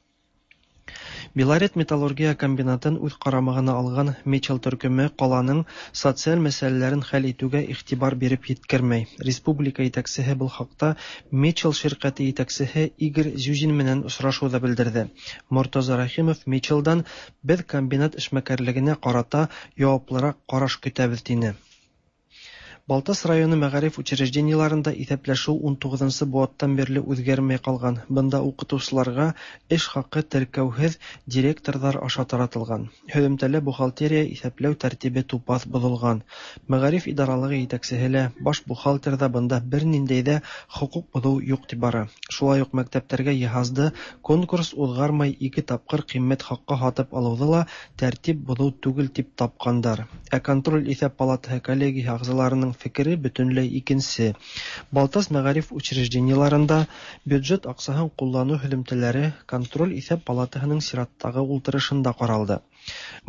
Белорет металлургия комбинатын үз карамагына алган Мечел төркеме каланың социаль мәсьәләләрен хәл итүгә игътибар биреп йиткермәй. Республика итәксеһе был хакта Мечел ширкәте итәксеһе Игорь Зюзин менән осрашыуда белдерде. Мортаза Рәхимов Мечелдан без комбинат эшмәкәрлегенә карата яваплырак караш көтәбез дине. Балтас районы мәгариф учреждениеларында иҫәпләшеү 19 быуаттан бирле үҙгәрмәй ҡалған. Бында уҡытыусыларға эш хаҡы теркәүһеҙ директорҙар аша таратылған. Һөҙөмтәлә бухгалтерия иҫәпләү тәртибе тупаҫ боҙолған. Мәғариф идаралығы етәксеһе лә, баш бухгалтер ҙа бында бер ниндәй ҙә хоҡуҡ боҙоу юҡ тип бара. Шулай уҡ мәктәптәргә йыһазды конкурс уҙғармай ике тапҡыр ҡиммәт хаҡҡа һатып алыуҙы ла тәртип боҙоу түгел тип тапҡандар. Ә контроль иҫәп палатаһы коллегияһы ағзаларының фекере бөтөнләй икенсе. Балтас мәғариф учреждениеларында бюджет аҡсаһын ҡулланыу һөҙөмтәләре контроль иҫәп палатаһының сираттағы ултырышында ҡаралды.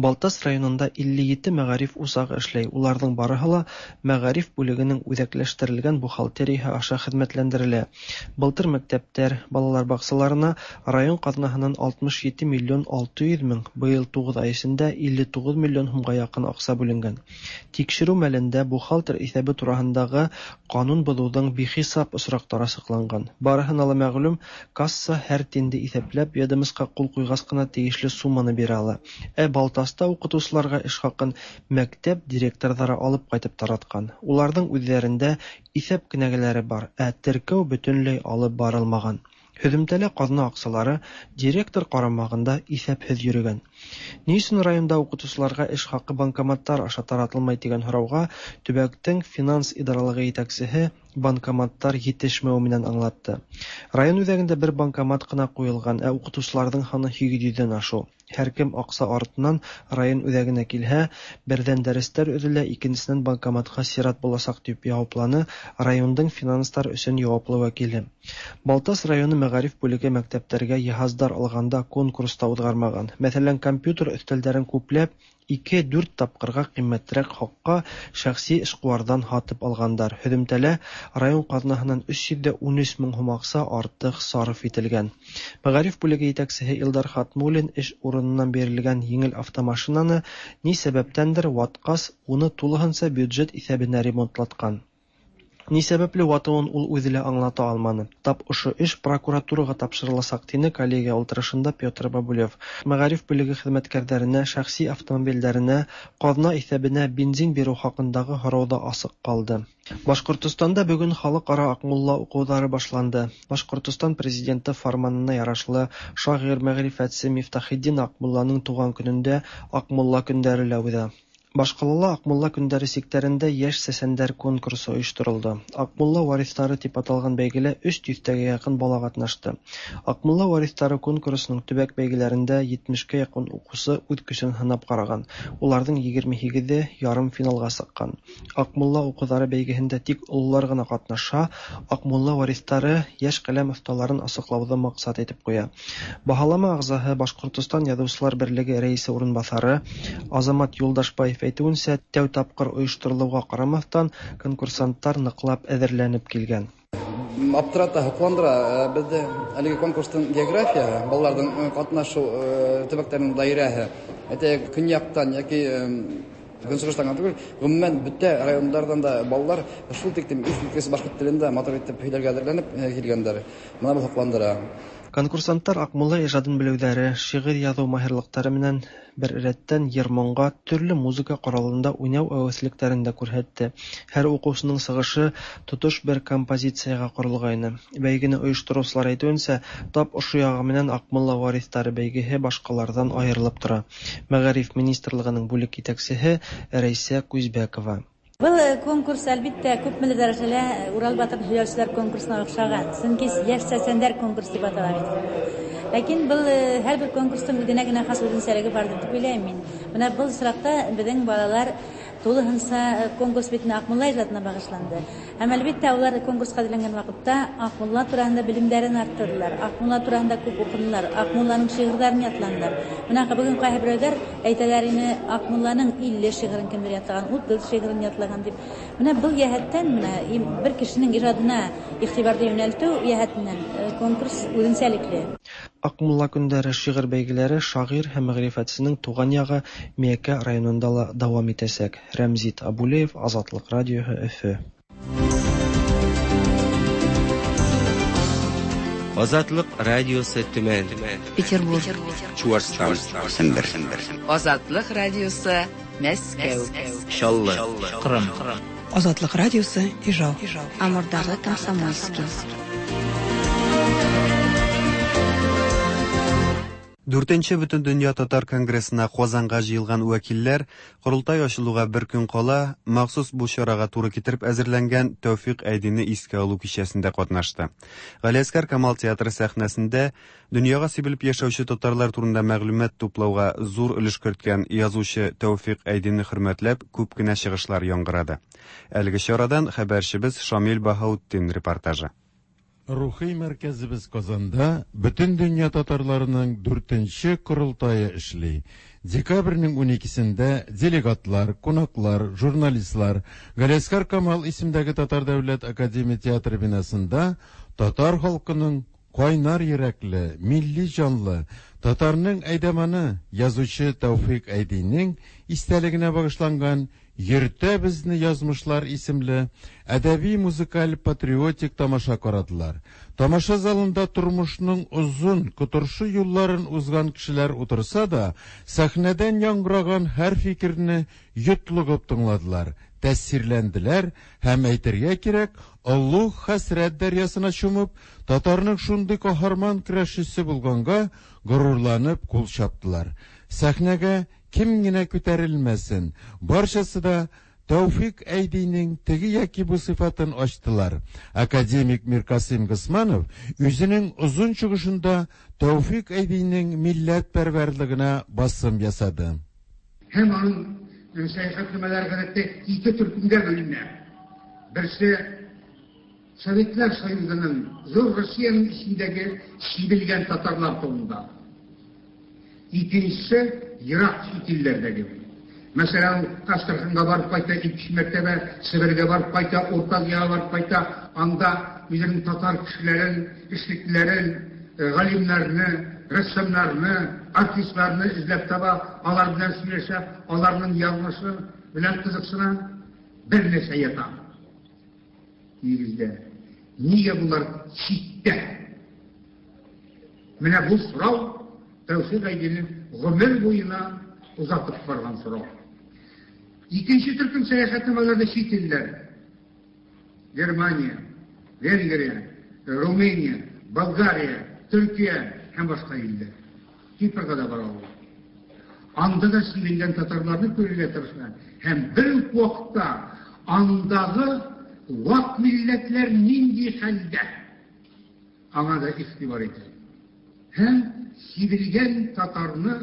Балтас районында 57 мәғариф усағы эшләй. Уларҙың барыһы ла мәғариф бүлегенең үҙәкләштерелгән бухгалтерияһы аша хеҙмәтләндерелә. Былтыр мәктәптәр, балалар баҡсаларына район ҡаҙнаһынан 67 миллион 600 мең, быйыл 9 ай эсендә 59 миллион һумға яҡын аҡса бүленгән. Тикшереү мәлендә бухгалтер иҫәбе тураһындағы ҡанун боҙоуҙың бихисап осраҡтары асыҡланған. Барыһына ла мәғлүм, касса һәр тинде иҫәпләп, ведомосҡа ҡул ҡуйғас ҡына тейешле сумманы бирә ала. Ә Балтаста уҡытыусыларға эш хаҡын мәктәп директорҙары алып ҡайтып таратҡан. Уларҙың үҙҙәрендә иҫәп кенәгәләре бар, ә теркәү бөтөнләй алып барылмаған. Һөҙөмтәлә ҡаҙна аҡсалары директор ҡарамағында иҫәпһеҙ йөрөгән. Ни өсөн районда уҡытыусыларға эш хаҡы банкоматтар аша таратылмай тигән һорауға төбәктең финанс идаралығы етәксеһе банкоматтар етешмәүе менән аңлатты. Район үҙәгендә бер банкомат ҡына ҡуйылған, ә уҡытыусыларҙың һаны 800-дән ашыу. Һәр кем аҡса артынан район үҙәгенә килһә, берҙән дәрестәр өҙөлә, икенсенән банкоматҡа сират буласаҡ, тип яуапланы райондың финанстар өсөн яуаплы вәкиле. Балтас районы мәғариф бүлеге мәктәптәргә йыһаздар алғанда конкурс та уҙғармаған. Мәҫәлән, компьютер өҫтәлдәрен күпләп 2-4 тапҡырға ҡиммәтерәк хаҡҡа шәхси эшҡыуарҙан һатып алғандар. Һөҙөмтәлә район ҡаҙнаһынан 313 мең һум аҡса артыҡ сарыф ителгән. Мәғариф бүлеге етәксеһе Илдар Хатмуллин эш урынынан бирелгән еңел автомашинаны ни сәбәптәндер ватҡас, уны тулыһынса бюджет иҫәбенә ремонтлатҡан. Ни сәбәпле ватыуын ул үҙе лә аңлата алманы. Тап ошо эш прокуратураға тапшырыласаҡ, тине коллегия ултырышында Петр Бабулев. Мәғариф бүлеге хеҙмәткәрҙәренә, шәхси автомобилдәренә, ҡаҙна иҫәбенә бензин биреү хаҡындағы һорау ҙа асыҡ ҡалды. Башҡортостанда бөгөн халыҡ-ара Аҡмулла уҡыуҙары башланды. Башҡортостан президенты фарманына ярашлы шағир, мәғрифәтсе Мифтахетдин Аҡмулланың тыуған көнөндә Аҡмулла көндәре лә үҙә. Башҡалала Аҡмулла көндәре сиктәрендә йәш сәсәндәр конкурсы ойошторолдо. Аҡмулла вариҫтары тип аталған бәйгелә 300-гә яҡын бала ҡатнашты. Аҡмулла вариҫтары конкурсының төбәк бәйгеләрендә 70-кә яҡын уҡыусы үҙ көсөн һынап ҡараған. Уларҙың 28-е ярым финалға сыҡҡан. Аҡмулла уҡыуҙары бәйгеһендә тик ололар ғына ҡатнаша. Аҡмулла вариҫтары йәш ҡәләм оҫталарын асыҡлауҙы маҡсат итеп ҡуя. Баһалама ағзаһы Башҡортостан Яҙыусылар берлеге рәйесе урынбаҫары Азамат Юлдашбаев әйтеүенсә, тәү тапҡыр ойошторолоуға ҡарамаҫтан, конкурсанттар ныҡлап әҙерләнеп килгән. Аптырата, һоҡландыра беҙҙе әлеге конкурстың географияһы, балаларҙың ҡатнашыу төбәктәренең даирәһе. Әйтәйек, көньяҡтан йәки көнсығыштан ғына түгел, ғөмүмән бөтә райондарҙан да балалар шул тиклем иҫ киткес башҡорт телендә матур итеп һөйләргә әҙерләнеп килгәндәр. Бына был һоҡландыра. Конкурсанттар Аҡмулла ижадын белеүҙәре, шиғыр яҙыу маһирлыҡтары менән бер рәттән йыр-моңға, төрлө музыка ҡоралында уйнау әүәҫлектәрен дә күрһәтте. Һәр уҡыусының сығышы тотош бер композицияға ҡоролғайны. Бәйгене ойоштороусылар әйтеүенсә, тап ошо яғы менән Аҡмулла вариҫтары бәйгеһе башҡаларҙан айырылып тора. Мәғариф министрлығының бүлек етәксеһе Рәйсә Күзбәкова. Был конкурс, әлбиттә, күпмелер дәрәжәлә Урал батыр һөйләүселәр конкурсына оҡшаған. Сөнки йәш сәсәндәр конкурс тип атала бит. Ләкин был һәр бер конкурстың үҙенә генә хас үҙенсәлеге барҙыр тип уйлайым мин. Бына был осраҡта беҙҙең балалар тулыһынса конкурс бит Аҡмулла ижадына бағышланды. Һәм әлбиттә улар конкурсҡа әҙерләнгән ваҡытта Аҡмулла тураһында белемдәрен арттырҙылар, Аҡмулла тураһында күп уҡынылар, Аҡмулланың шиғырҙарын ятланылар. Бына бөгөн ҡайһы берәүҙәр әйтәләр ине, Аҡмулланың 50 шиғырын кемдер ятлаған, 30 шиғырын ятлаған тип. Бына был йәһәттән бына бер кешенең ижадына иғтибарҙы йүнәлтеү йәһәтенән конкурс үҙенсәлекле. Акмулла көндәре шигырь бәйгеләре шагыйрь һәм мәгърифәтченең туган ягы Миякә районында ла дәвам итәчәк. Рәмзит Абулеев, Азатлык радиоһы, Өфе. Азатлык радиосы Төмән. Петербург. Чуашстан. Сембер. Азатлык радиосы Мәскәү. Чаллы. Кырым. Азатлык радиосы Ижау. Амурдагы Комсомольский. Дүртенче Бөтендөнья татар конгрессына Казанга җыелган вәкилләр корылтай ачылуга бер көн кала махсус бу чарага туры китереп әзерләнгән Тәүфик Әйдине искә алу кичәсендә катнашты. Галиәсгар Камал театры сәхнәсендә дөньяга сибелеп яшәүче татарлар турында мәгълүмат туплауга зур өлеш керткән язучы Тәүфик Әйдине хөрмәтләп күп кенә чыгышлар яңгырады. Әлеге чарадан хәбәрчебез Шамил Баһаутдин репортажы. Рухи мәркәзебез Казанда Бөтендөнья татарларының дүртенче корылтае эшли. Декабрьнең 12-сендә делегатлар, кунаклар, журналистлар Галиәсгар Камал исемдәге Татар дәүләт академия театры бинасында татар халкының кайнар йөрәкле, милли җанлы, татарның әйдәманы, язучы Тәүфик Әйдинең истәлегенә багышланган Йөртә безне язмышлар исемле әдәби музыкаль патриотик тамаша карадылар. Тамаша залында тормышның озын, котыршы юлларын узган кешеләр утырса да, сәхнәдән яңгыраган һәр фикерне йотлыгып тыңладылар, тәэсирләнделәр һәм әйтергә кирәк, олуг хәсрәт дәрьясына чумып, татарның шундый каһарман көрәшчесе булганга горурланып кул чаптылар. Сәхнәгә кем генә күтәрелмәсен, барчасы да Тәүфик Әйдинең теге яки бу сыйфатын ачтылар. Академик Миркасыйм Госманов үзенең озын чыгышында Тәүфик Әйдинең милләтпәрвәрлегенә басым ясады. Һәм аның сәяхәтнамәләре гадәттә ике төркемгә бүленә. Берсе Советлар Союзының, зур Россиянең эчендәге сибелгән татарлар турында. Икенчесе ерак чит илләрдәге. Мәсәлән, ул Астраханьга барып кайта, ике мәртәбә Себергә барып кайта, Урта Азиягә барып кайта, анда үзенең татар кешеләрен, эшлеклеләрен, галимнәрне, рәссамнарны, артистларны эзләп таба, алар белән сөйләшә, аларның язмышы белән кызыксына. Бер нәрсә ята нигездә. Нигә болар читтә? Менә бу сорау Тәүфик Әйдинең гомер буена озатып барган сорау. Икенче төркем сәяхәтнамәләрдә чит илләр. Германия, Венгрия, Румыния, Болгария, Төркия һәм башка илләр. Кипрга да бара ул. Анда да сибелгән татарларны күрергә тырыша һәм бер үк вакытта андагы вак милләтләр нинди хәлдә? Аңа да игътибар итә. Һәм сибелгән татарны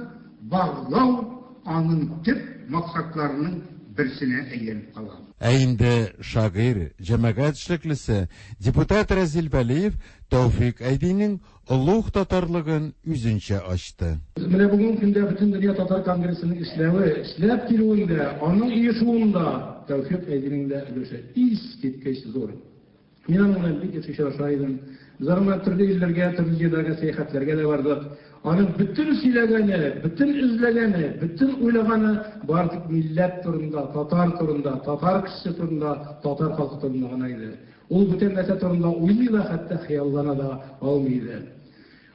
барлау аның төп максатларының берсенә әйләнеп кала. Ә инде шагыйрь, җәмәгать эшлеклесе, депутат Рәзил Вәлиев Тәүфик Әйдинең олуг татарлыгын үзенчә ачты. Менә бүгенге көндә Бөтендөнья татар конгрессының эшләве, эшләп килүендә, аның оешуында Тәүфик Әйдинең дә өлеше искиткеч зур. Мин аның белән бик еш очраша идем. Без аның белән төрле илләргә, төрле җирләргә сәяхәтләргә дә бардык. Аның бөтен сөйләгәне, бөтен эзләгәне, бөтен уйлаганы бары тик милләт турында, татар турында, татар кешесе турында, татар халкы турында гына иде. Ул бүтән нәрсә турында уйлый да, хәтта хыяллана да алмый иде.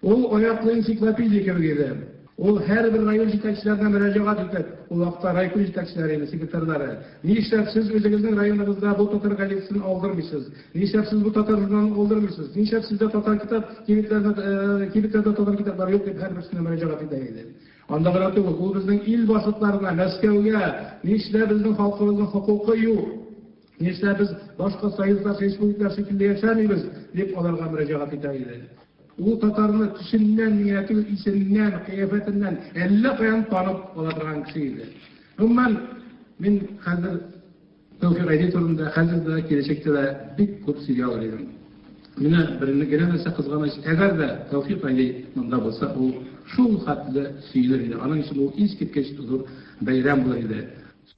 Ул аяклы энциклопедия кебек иде. Ул һәрбер район җитәкчеләренә мөрәҗәгать итеп, ул вакытта райком җитәкчеләре иде, секретарьлары, Нишләп сез үзегезнең районыгызда бу татар газетасын алдырмыйсыз? Нишләп сез бу татар журналын алдырмыйсыз? Нишләп сездә татар китап кибетләрендә кибетләрдә татар китаплары юк дип һәрберсенә мөрәҗәгать итә иде. Анда гына түгел, ул безнең ил башлыкларына, Мәскәүгә, нишләп безнең халкыбызның хокукы юк? Нишләп без башка союздаш республикалар шикелле яшәмибез? дип аларга мөрәҗәгать итә иде. Ул татарны төсеннән генә түгел, исеннән, кыяфәтеннән әллә каян танып ала торган кеше иде. Гомумән, мин хәзер Тәүфик Әйди турында хәзер дә, киләчәктә дә бик күп сөйли алыр идем. Менә бер генә нәрсә кызганыч, әгәр дә Тәүфик Әйди монда булса, ул шул хәтле сөенер иде. Аның өчен ул искиткеч зур бәйрәм булыр иде.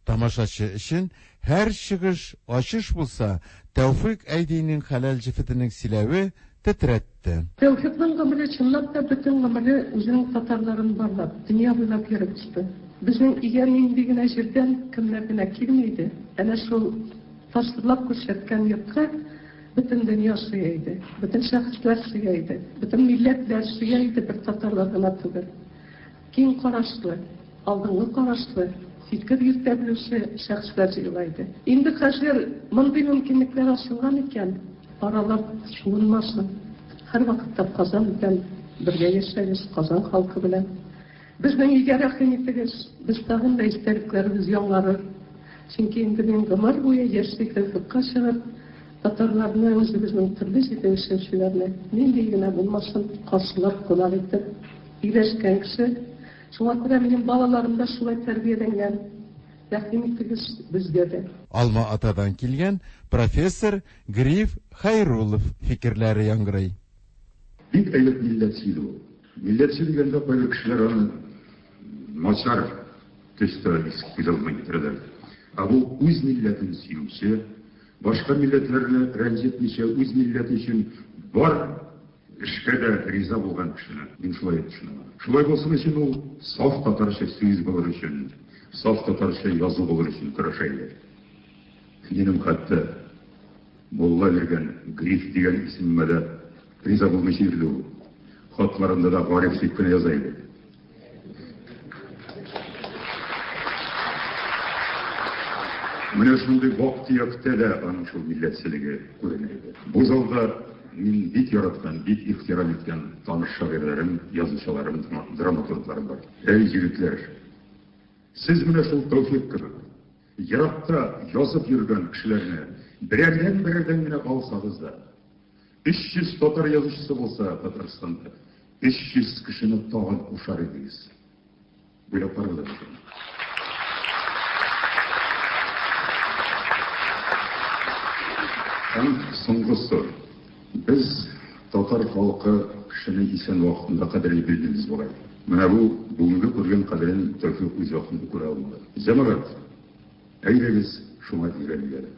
Тамашачы өчен һәр чыгыш ачыш булса, Тәүфыйк Әйдинең хәләл җефетенең сөйләве тетрәтте. Тәүфикның гомере чынлап та бөтен гомере үзенең татарларын барлап, дөнья буйлап йөреп узды. Безнең өйгә нинди генә җирдән кемнәр генә килми иде, әнә шул тасвирлап күрсәткән йортка бөтен дөнья сыя иде, бөтен шәхесләр сыя иде, бөтен милләтләр сыя иде, бер татарлар гына түгел. Киң карашлы, алдынгы карашлы, фикер йөртә белүче шәхесләр җыела иде. Инде хәзер мондый мөмкинлекләр ачылган икән, аралар суынмасын. Һәрвакытта Казан белән бергә яшәгез, Казан халкы белән. Безнең өйгә рәхим итегез, без тагын да истәлекләребез яңарыр. Чөнки инде мин гомер буе яшьли Тәүфикъка чыгып, татарларны, үзебезнең төрле җирдә яшәүчеләрне, нинди генә булмасын, каршылап, кунак итеп өйләшкән кеше. Шуңа күрә минем балаларым да шулай тәрбияләнгән. Рәхим итегез безгә дә. Алма-Атадан килгән профессор Гриф Хәйруллов фикерләре яңгырый. Бик әйбәт милләтче иде ул. Милләтче дигәндә кайбер кешеләр аны начар төстә күз алдына китерәләр. Ә бу үз милләтен сөюче, башка милләтләрне рәнҗетмичә үз милләте өчен бар эшкә дә риза булган кешене мин шулай төшенәм. Шулай булсын өчен ул саф татарча сүз булыр өчен, саф татарча язу булыр өчен көрәшә иде. Минем хәтта мулла биргән Гриф дигән исемемә дә риза булмыйча йөрде ул. Хатларында да Гариф дип кенә яза иде. Менә шундый вак-төяктә дә аның шул милләтчелеге күренә иде. Бу залда мин бик яраткан, бик ихтирам иткән таныш шагыйрьләрем, язучыларым, драматургларым бар. Әй, егетләр, сез менә шул Тәүфикъ кебек, еракта язып йөргән кешеләрне берәрдән-берәрдән генә алсагыз да, 300 татар язучысы булса Татарстанда, 300 кешене тагын кушар идегез. Уйлап карагыз әле. Һәм соңгысы. Без, татар халкы, кешене исән вакытында кадерли белмибез бугай. Менә бу бүгенге күргән кадерен Тәүфикъ үз вакытында күрә алмады. Җәмәгать, әйдәгез, шуңа өйрәник әле.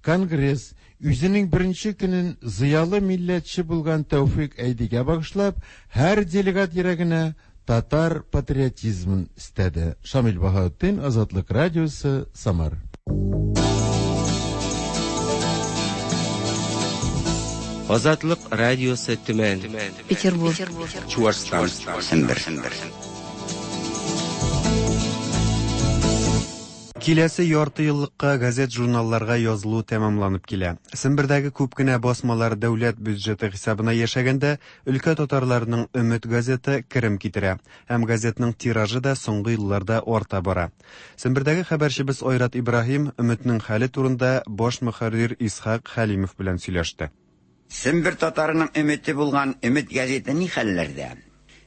Конгресс үзенең беренче көнен зыялы милләтче булган Тәүфикъ Әйдигә багышлап, һәр делегат йөрәгенә татар патриотизмын өстәде. Шамил Баһаутдин, Азатлык радиосы, Самар. Азатлык радиосы Төмән. Петербург. Чуашстан. Сембер. Киләсе ярты еллыкка газет-журналларга язылу тәмамланып килә. Сембердәге күп кенә басмалар дәүләт бюджеты хисабына яшәгәндә, өлкә татарларының Өмет газеты керем китерә һәм газетның тиражы да соңгы елларда арта бара. Сембердәге хәбәрчебез Айрат Ибраһим Өметнең хәле турында баш мөхәррир Исхак Хәлимов белән сөйләште. Сембер татарының өмете булган Өмет гәзите ни хәлләрдә?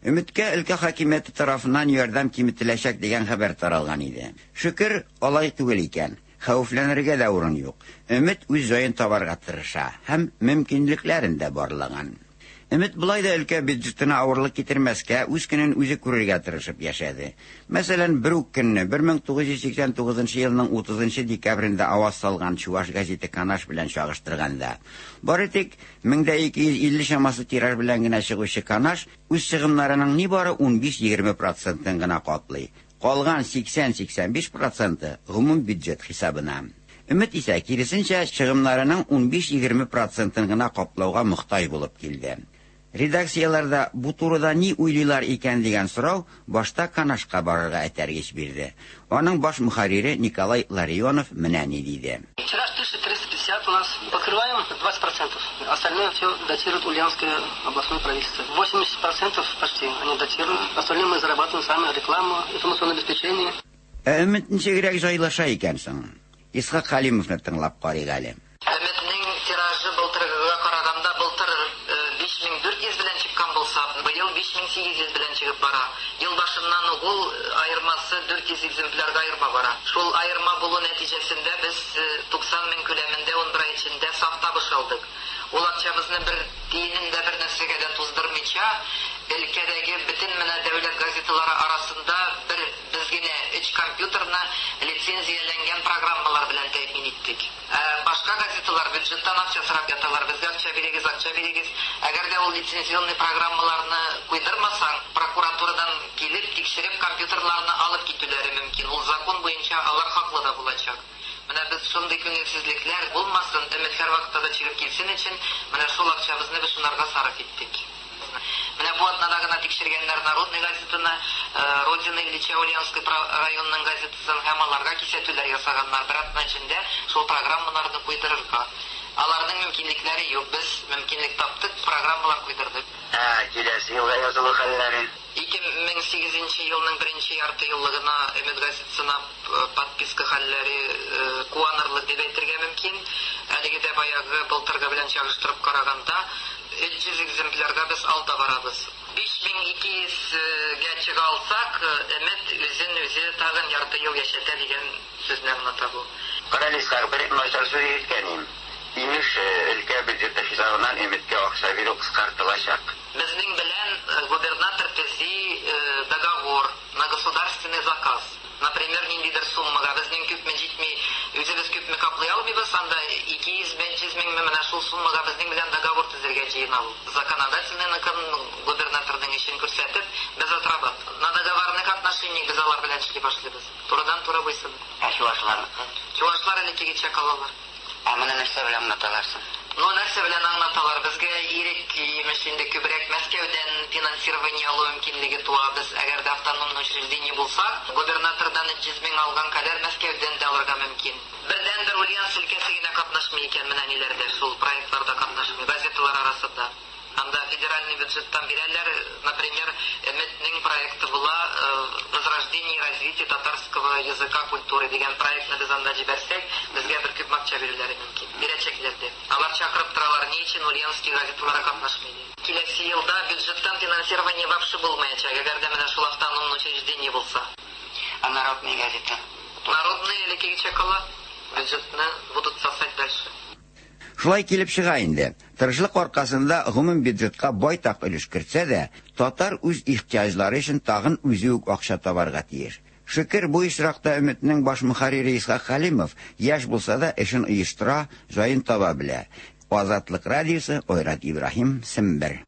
Өметкә өлкә хакимияте тарафыннан ярдәм киметеләчәк дигән хәбәр таралган иде. Шөкер, алай түгел икән. Хәвефләнергә дә урын юк. Өмет үз җаен табарга тырыша һәм мөмкинлекләрен дә барлаган. Өмет болай да өлкә бюджетына авырлык китермәскә, үз көнен үзе күрергә тырышып яшәде. Мәсәлән, бер үк көнне 1989 елның 30 декабрендә аваз салган Чуваш газеты Канаш белән чагыштырганда, бары тик 1250 чамасы тираж белән генә чыгучы Канаш үз чыгымнарының нибары 15-20 процентын гына каплый. Калган 80-85 проценты гомум бюджет хисабына. Өмет исә, киресенчә, чыгымнарының 15-20 процентын гына каплауга мохтаҗ булып килде. Редакцияләрдә бу турыда ни уйлыйлар икән дигән сорау башта Канашка барырга этәргеч бирде. Аның баш мөхәррире Николай Ларионов менә ни диде. Тираж 1350 у нас, покрываем 20%. Остальное все дотирует Ульяновское областное правительство. 80% почти они дотируют. Остальное мы зарабатываем сами, рекламу, информационное обеспечение. Ә Өмет ничегрәк җайлаша икән соң? Исхак Хәлимовны тыңлап карыйк әле. Өметнең тиражы былтыргыга караганда былтыр 5400 белән чыккан булса, быел 5800 белән чыгып бара. Ел башыннан ук ул аермасы 400 экземплярга аерма бара. Шул аерма булу нәтиҗәсендә без 90 мең күләмендә 11 ай эчендә саф табыш алдык. Ул акчабызны бер тиенен дә бер нәрсәгә дә туздырмыйча, өлкәдәге бөтен менә дәүләт газеталары арасында бер без генә өч компьютерны лицензияләнгән программалар белән тәэмин иттек. Ә башка газеталар бюджеттан акча сорап яталар, безгә акча бирегез, акча бирегез. Әгәр дә ул лицензионный программаларны куйдырмасаң, прокуратурадан килеп, тикшереп, компьютерларны алып китүләре мөмкин. Ул закон буенча алар хаклы да булачак. Менә без шундый күңелсезлекләр булмасын, Өмет һәрвакытта да чыгып килсен өчен, менә шул акчабызны без шунарга сарыф иттек. Менә бу атнада гына тикшергәннәр Народный газетаны, Родина Ильича Ульяновский районының газетасын һәм аларга кисәтүләр ясаганнар, бер атна эчендә шул программаларны куйдырырга. Аларның мөмкинлекләре юк, без мөмкинлек таптык, программалар куйдырдык. Ә киләсе елга язылу хәлләре? 2008 нче елның беренче яртыеллыгына Өмет газетасына подписка хәлләре куанырлык дип әйтергә мөмкин. Әлеге дә баягы былтыргы белән чагыштырып караганда, 300 экземплярга без алда барабыз. 5200 гә чыга алсак, Өмет үзен үзе тагын ярты ел яшәтә дигән сүзне аңлата бу. Карале, Исхак, бер начар сүз ишеткән идем. Имеш, өлкә бюджеты хисабыннан Өметкә акча бирү кыскартылачак. Безнең белән губернатор төзи договор на государственный заказ. Например, ниндидер суммага безнең күпме җитми, үзебез күпме каплый алмыйбыз, анда 200, 500 меңме, менә шул суммага безнең белән договор төзергә җыена ул. Законодательныйныкын губернаторның эшен күрсәтеп, без отрабат. На договорных отношениях без алар белән эшли башлыйбыз. Турыдан-туры буйсынып. Ә чувашларныкы? Чувашлар элеккегечә калалар. Ә моны нәрсә белән аңлаталар соң? Ну, нәрсә белән аңлаталар? Безгә ирек, имеш, инде күбрәк Мәскәүдән финансирование алу мөмкинлеге туа. Без, әгәр дә автономный учреждение булсак, губернатордан 300 мең алган кадәр Мәскәүдән дә алырга мөмкин. Бердәнбер Ульяновск өлкәсе генә катнашмый икән менә ниләрдә, шул проектларда катнашмый, газеталар арасында. Анда федеральный бюджеттан бирәләр, например, Өметнең проекты була, Возрождение и развитие татарского языка, культуры дигән проектны без анда җибәрсәк, безгә бер күп акча бирүләре мөмкин. Бирәчәкләр дә. Алар чакырып торалар, ни өчен Ульяновский газеталары катнашмый дип. Киләсе елда бюджеттан финансирование вообще булмаячак, әгәр дә менә шул автономный учреждение булса. А Народная газета? Народная элеккегечә кала, бюджетны будут сосать дальше. Шулай килеп чыга инде, тырышлык аркасында гомум бюджетка байтак өлеш кертсә дә, татар үз ихтыяҗлары өчен тагын үзе үк акча табарга тиеш. Шөкер, бу очракта Өметнең баш мөхәррире Исхак Хәлимов, яшь булса да, эшен оештыра, җаен таба белә. Азатлык радиосы, Айрат Ибраһим, Сембер.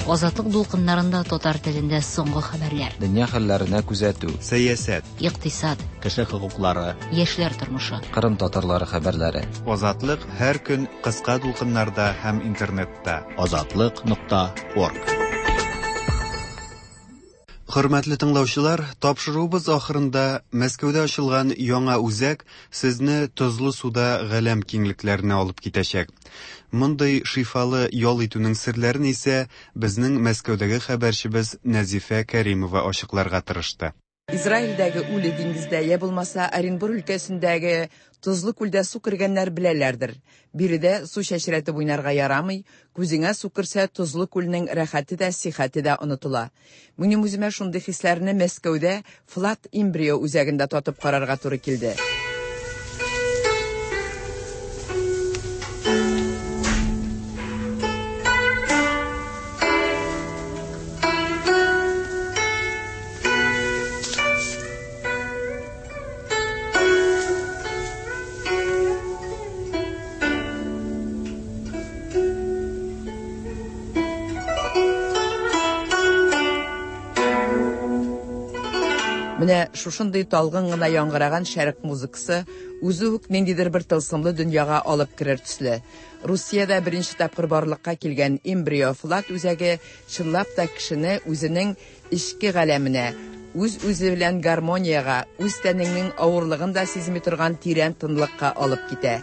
Азатлык дулкыннарында татар телендә соңгы хәбәрләр. Дөнья хәлләренә күзәтү. Сәясәт. Икътисад. Кеше хокуклары. Яшьләр тормышы. Кырым татарлары хәбәрләре. Азатлык һәр көн кыска дулкыннарда һәм интернетта. Азатлык нокта орг. Хөрмәтле тыңлаучылар, тапшыруыбыз ахырында Мәскәүдә ачылган яңа үзәк сезне тозлы суда галәм киңлекләренә алып китәчәк. Мондый шифалы ял итүнең серләрен исә безнең Мәскәүдәге хәбәрчебез Нәзифә Кәримова ачыкларга тырышты. Израильдәге Үле диңгездә, йә булмаса Оренбур өлкәсендәге тозлы күлдә су кергәннәр беләләрдер. Биредә су чәчрәтеп уйнарга ярамый, күзеңә су керсә, тозлы күлнең рәхәте дә, сихәте дә онытыла. Минем үземә шундый хисләрне Мәскәүдә Флат Имбрио үзәгендә татып карарга туры килде. Менә шушындый талгын гына яңгыраган шәрык музыкасы үзе үк ниндидер бер тылсымлы дөньяга алып керер төсле. Русиядә беренче тапкыр барлыкка килгән Эмбрио Флат үзәге чынлап та кешене үзенең эчке галәменә, үз-үзе белән гармониягә, үз тәнеңнең авырлыгын да сизми торган тирән тынлыкка алып китә.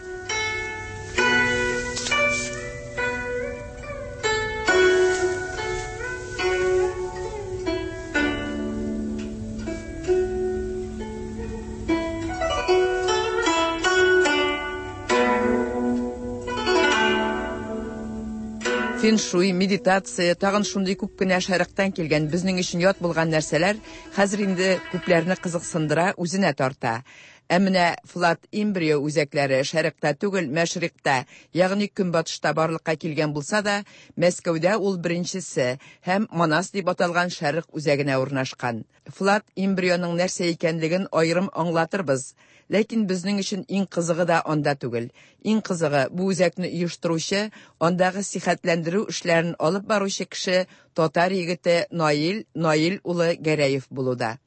Феншуй, медитация, тагын шундый күп кенә шәрыктан килгән безнең өчен ят булган нәрсәләр хәзер инде күпләрне кызыксындыра, үзенә тарта. Ә менә Флат Эмбрио үзәкләре шәрыкта түгел, мәшрикъта, ягъни көнбатышта барлыкка килгән булса да, Мәскәүдә ул беренчесе һәм Манас дип аталган шәрык үзәгенә урнашкан. Флат Эмбрионың нәрсә икәнлеген аерым аңлатырбыз. Ләкин безнең өчен иң кызыгы да анда түгел. Иң кызыгы, бу үзәкне оештыручы, андагы сихәтләндерү эшләрен алып баручы кеше татар егете Наил Наил улы Гәрәев булуда.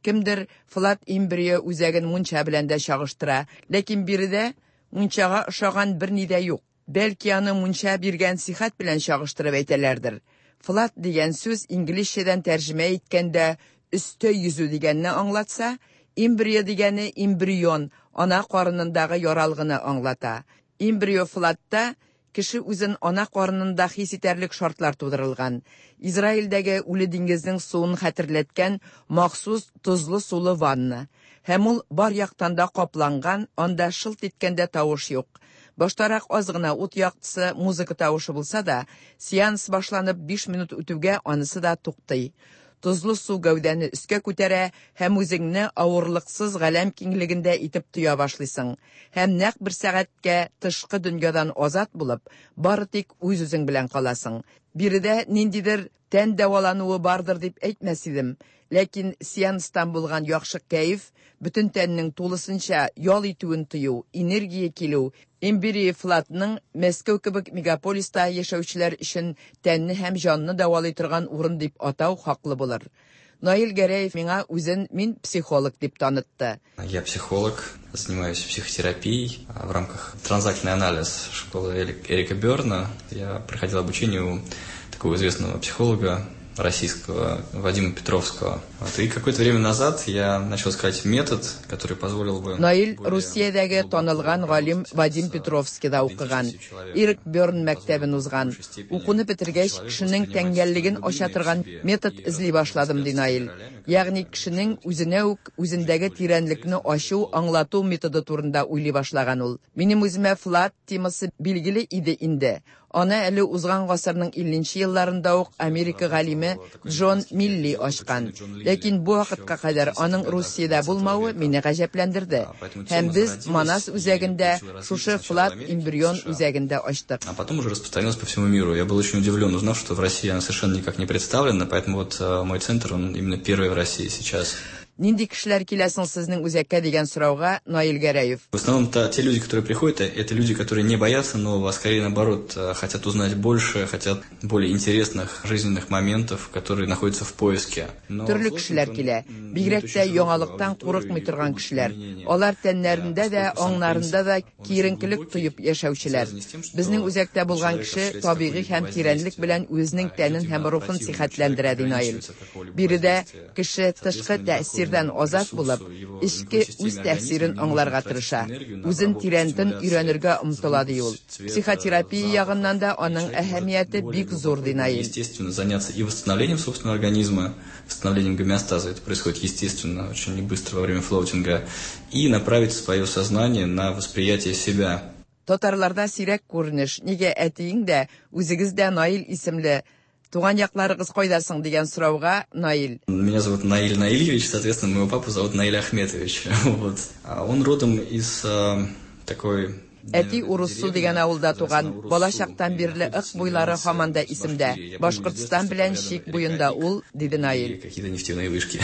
Кемдер Флат Эмбрио үзәген мунча белән дә чагыштыра, ләкин биредә мунчага ошаган берни дә юк. Бәлки аны мунча биргән сихәт белән чагыштырып әйтәләрдер. Флат дигән сүз инглизчәдән тәрҗемә иткәндә өстә йөзү дигәнне аңлатса, эмбрио дигәне эмбрион, ана карынындагы яралгыны аңлата. Эмбрио флатта кеше үзен ана карынында хис итәрлек шартлар тудырылган. Израильдәге Үле диңгезнең суын хәтерләткән махсус тозлы сулы ванна. Һәм ул бар яктан да капланган, анда шылт иткәндә тавыш юк. Баштарак аз гына ут яктысы, музыка тавышы булса да, сеанс башланып 5 минут үтүгә анысы да туктый. Тозлы су гәүдәне өскә күтәрә һәм үзеңне авырлыксыз галәм киңлегендә итеп тоя башлыйсың. Һәм нәкъ бер сәгатькә тышкы дөньядан азат булып, бары тик үз-үзең белән каласың. Биредә ниндидер тән дәвалануы бардыр дип әйтмәс идем. Ләкин сеанстан булган яхшы кәеф, бөтен тәннең тулысынча ял итүен тою, энергия килү, Эмбрио Флатның Мәскәү кебек мегаполиста яшәүчеләр өчен тәнне һәм җанны дәвалый торган урын дип атау хаклы булыр. Наил Гәрәев миңа үзен мин психолог дип танытты. Я психолог, занимаюсь психотерапией в рамках транзактный анализ школы Эрика Берна. Я проходил обучение у такого известного психолога российского Вадима Петровского. Вот. И какое-то время назад я начал искать метод, который позволил бы... Наил Русиядәге танылган галим Вадим Петровскийда укыган, Эрик Берн мәктәбен узган. Укуны бетергәч, кешенең тәңгәллеген ача торган метод эзли башладым, ди Наил. Ягъни кешенең үзенә үк үзендәге тирәнлекне ачу, аңлату методы турында уйлый башлаган ул. Минем үземә Флат темасы билгеле иде инде. Аны әле узган гасырның 50 елларында ук Америка галиме Джон Милли ачкан. Ләкин бу вакытка кадәр аның Русиядә булмавы мине гаҗәпләндерде. Һәм без Манас үзәгендә, шушы Флат эмбрион үзәгендә ачтык. А потом уже распространилась по всему миру. Я был очень удивлен, узнав, что в России она совершенно никак не представлена, поэтому вот мой центр, он именно первый в России сейчас. Нинди кешеләр килә соң сезнең үзәккә дигән сорауга Наил Гәрәев. В основном те люди, которые приходят, это люди, которые не боятся нового, а скорее наоборот, хотят узнать больше, хотят более интересных жизненных моментов, которые находятся в поиске. Но Төрле кешеләр килә, бигрәк тә яңалыктан курыкмый торган кешеләр. Алар тәннәрендә дә, аңнарында да киеренкелек тоеп яшәүчеләр. Безнең үзәктә булган кеше табигый һәм тирәнлек белән үзенең тәнен һәм рухын сихәтләндерә, ди Наил. Биредә кеше тышкы тәэсирдән азат булып, эчке үз тәэсирен аңларга тырыша. Үзен тирәнтен өйрәнергә омтыла, ди ул. Психотерапия ягыннан да аның әһәмияте бик зур, ди Наил. Естественно, заняться и восстановлением собственного организма, восстановлением гомеостаза, это происходит естественно, очень быстро во время флоутинга, и направить свое сознание на восприятие себя. Татарларда сирәк күренеш, нигә әтиең дә, үзегез дә Наил исемле, туган якларыгыз кайда соң дигән сорауга Наил. Меня зовут Наиль Наильевич, соответственно, моего папу зовут Наиль Ахметович. Вот. А он родом из такой... Әти Уруссу дигән авылда туган, бала чактан бирле Ык буйлары һаман да исемдә. Башкортстан белән чик буенда ул, диде Наил. Какие-то нефтяные вышки.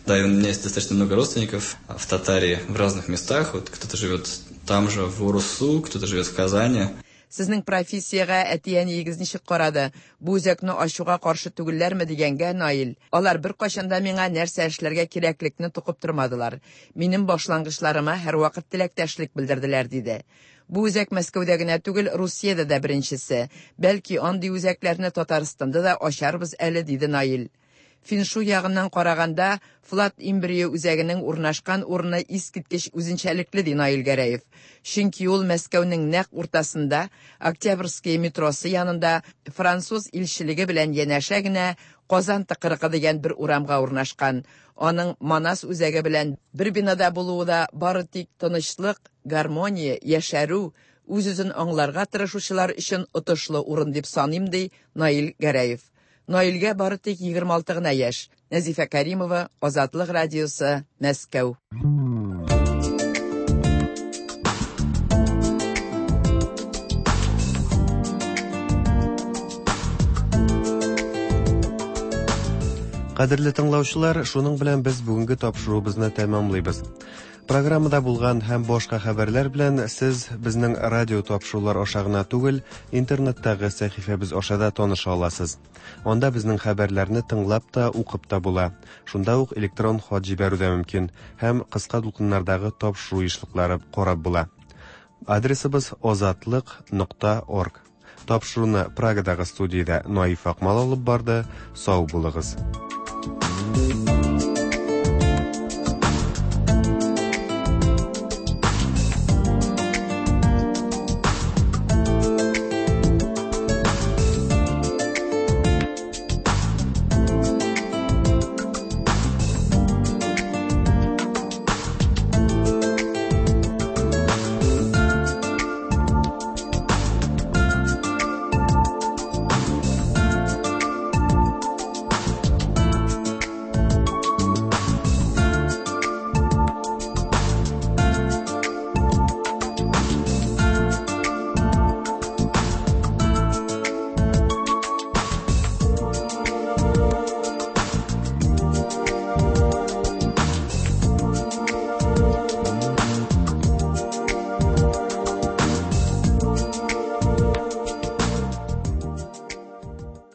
Да, и у меня есть достаточно много родственников в Татарии, в разных местах. Вот кто-то живет там же, в Уруссу, кто-то живет в Казани. Сезнең профессиягә әти-әниегез ничек карады? Бу үзәкне ачуга каршы түгелләрме дигәнгә Наил. Алар беркайчан да миңа нәрсә эшләргә кирәклекне тукып тормадылар. Минем башлангычларыма һәрвакыт теләктәшлек белдерделәр, диде. Бу үзәк Мәскәүдә генә түгел, Русиядә дә беренчесе. Бәлки андый үзәкләрне Татарстанда да ачарбыз әле, диде Наил. Феншуй ягыннан караганда, Флат Эмбрио үзәгенең урнашкан урыны искиткеч үзенчәлекле, ди Наил Гәрәев. Чөнки ул Мәскәүнең нәкъ уртасында, Октябрьская метросы янында, француз илчелеге белән янәшә генә Казан тыкрыгы дигән бер урамга урнашкан. Аның Манас үзәге белән бер бинада булуы да бары тик тынычлык, гармония, яшәрү, үз-үзен аңларга тырышучылар өчен отышлы урын дип саныйм, ди Наил Гәрәев. Наилгә бары тик 26 гына яшь. Нәзифә Каримова, Азатлык радиосы, Мәскәү. Кадерле тыңлаучылар, шуның белән без бүгенге тапшыруыбызны тәмамлыйбыз. Программада булган һәм башка хәбәрләр белән сез безнең радио тапшырулар аша гына түгел, интернеттагы сәхифәбез аша да таныша аласыз. Анда безнең хәбәрләрне тыңлап та, укып та була. Шунда ук электрон хат җибәрү дә мөмкин һәм кыска дулкыннардагы тапшыру ешлыклары карап була. Адресыбыз озатлык.орг. Тапшыруны Прагадагы студиядә Наиф Акмал алып барды. Сау булыгыз.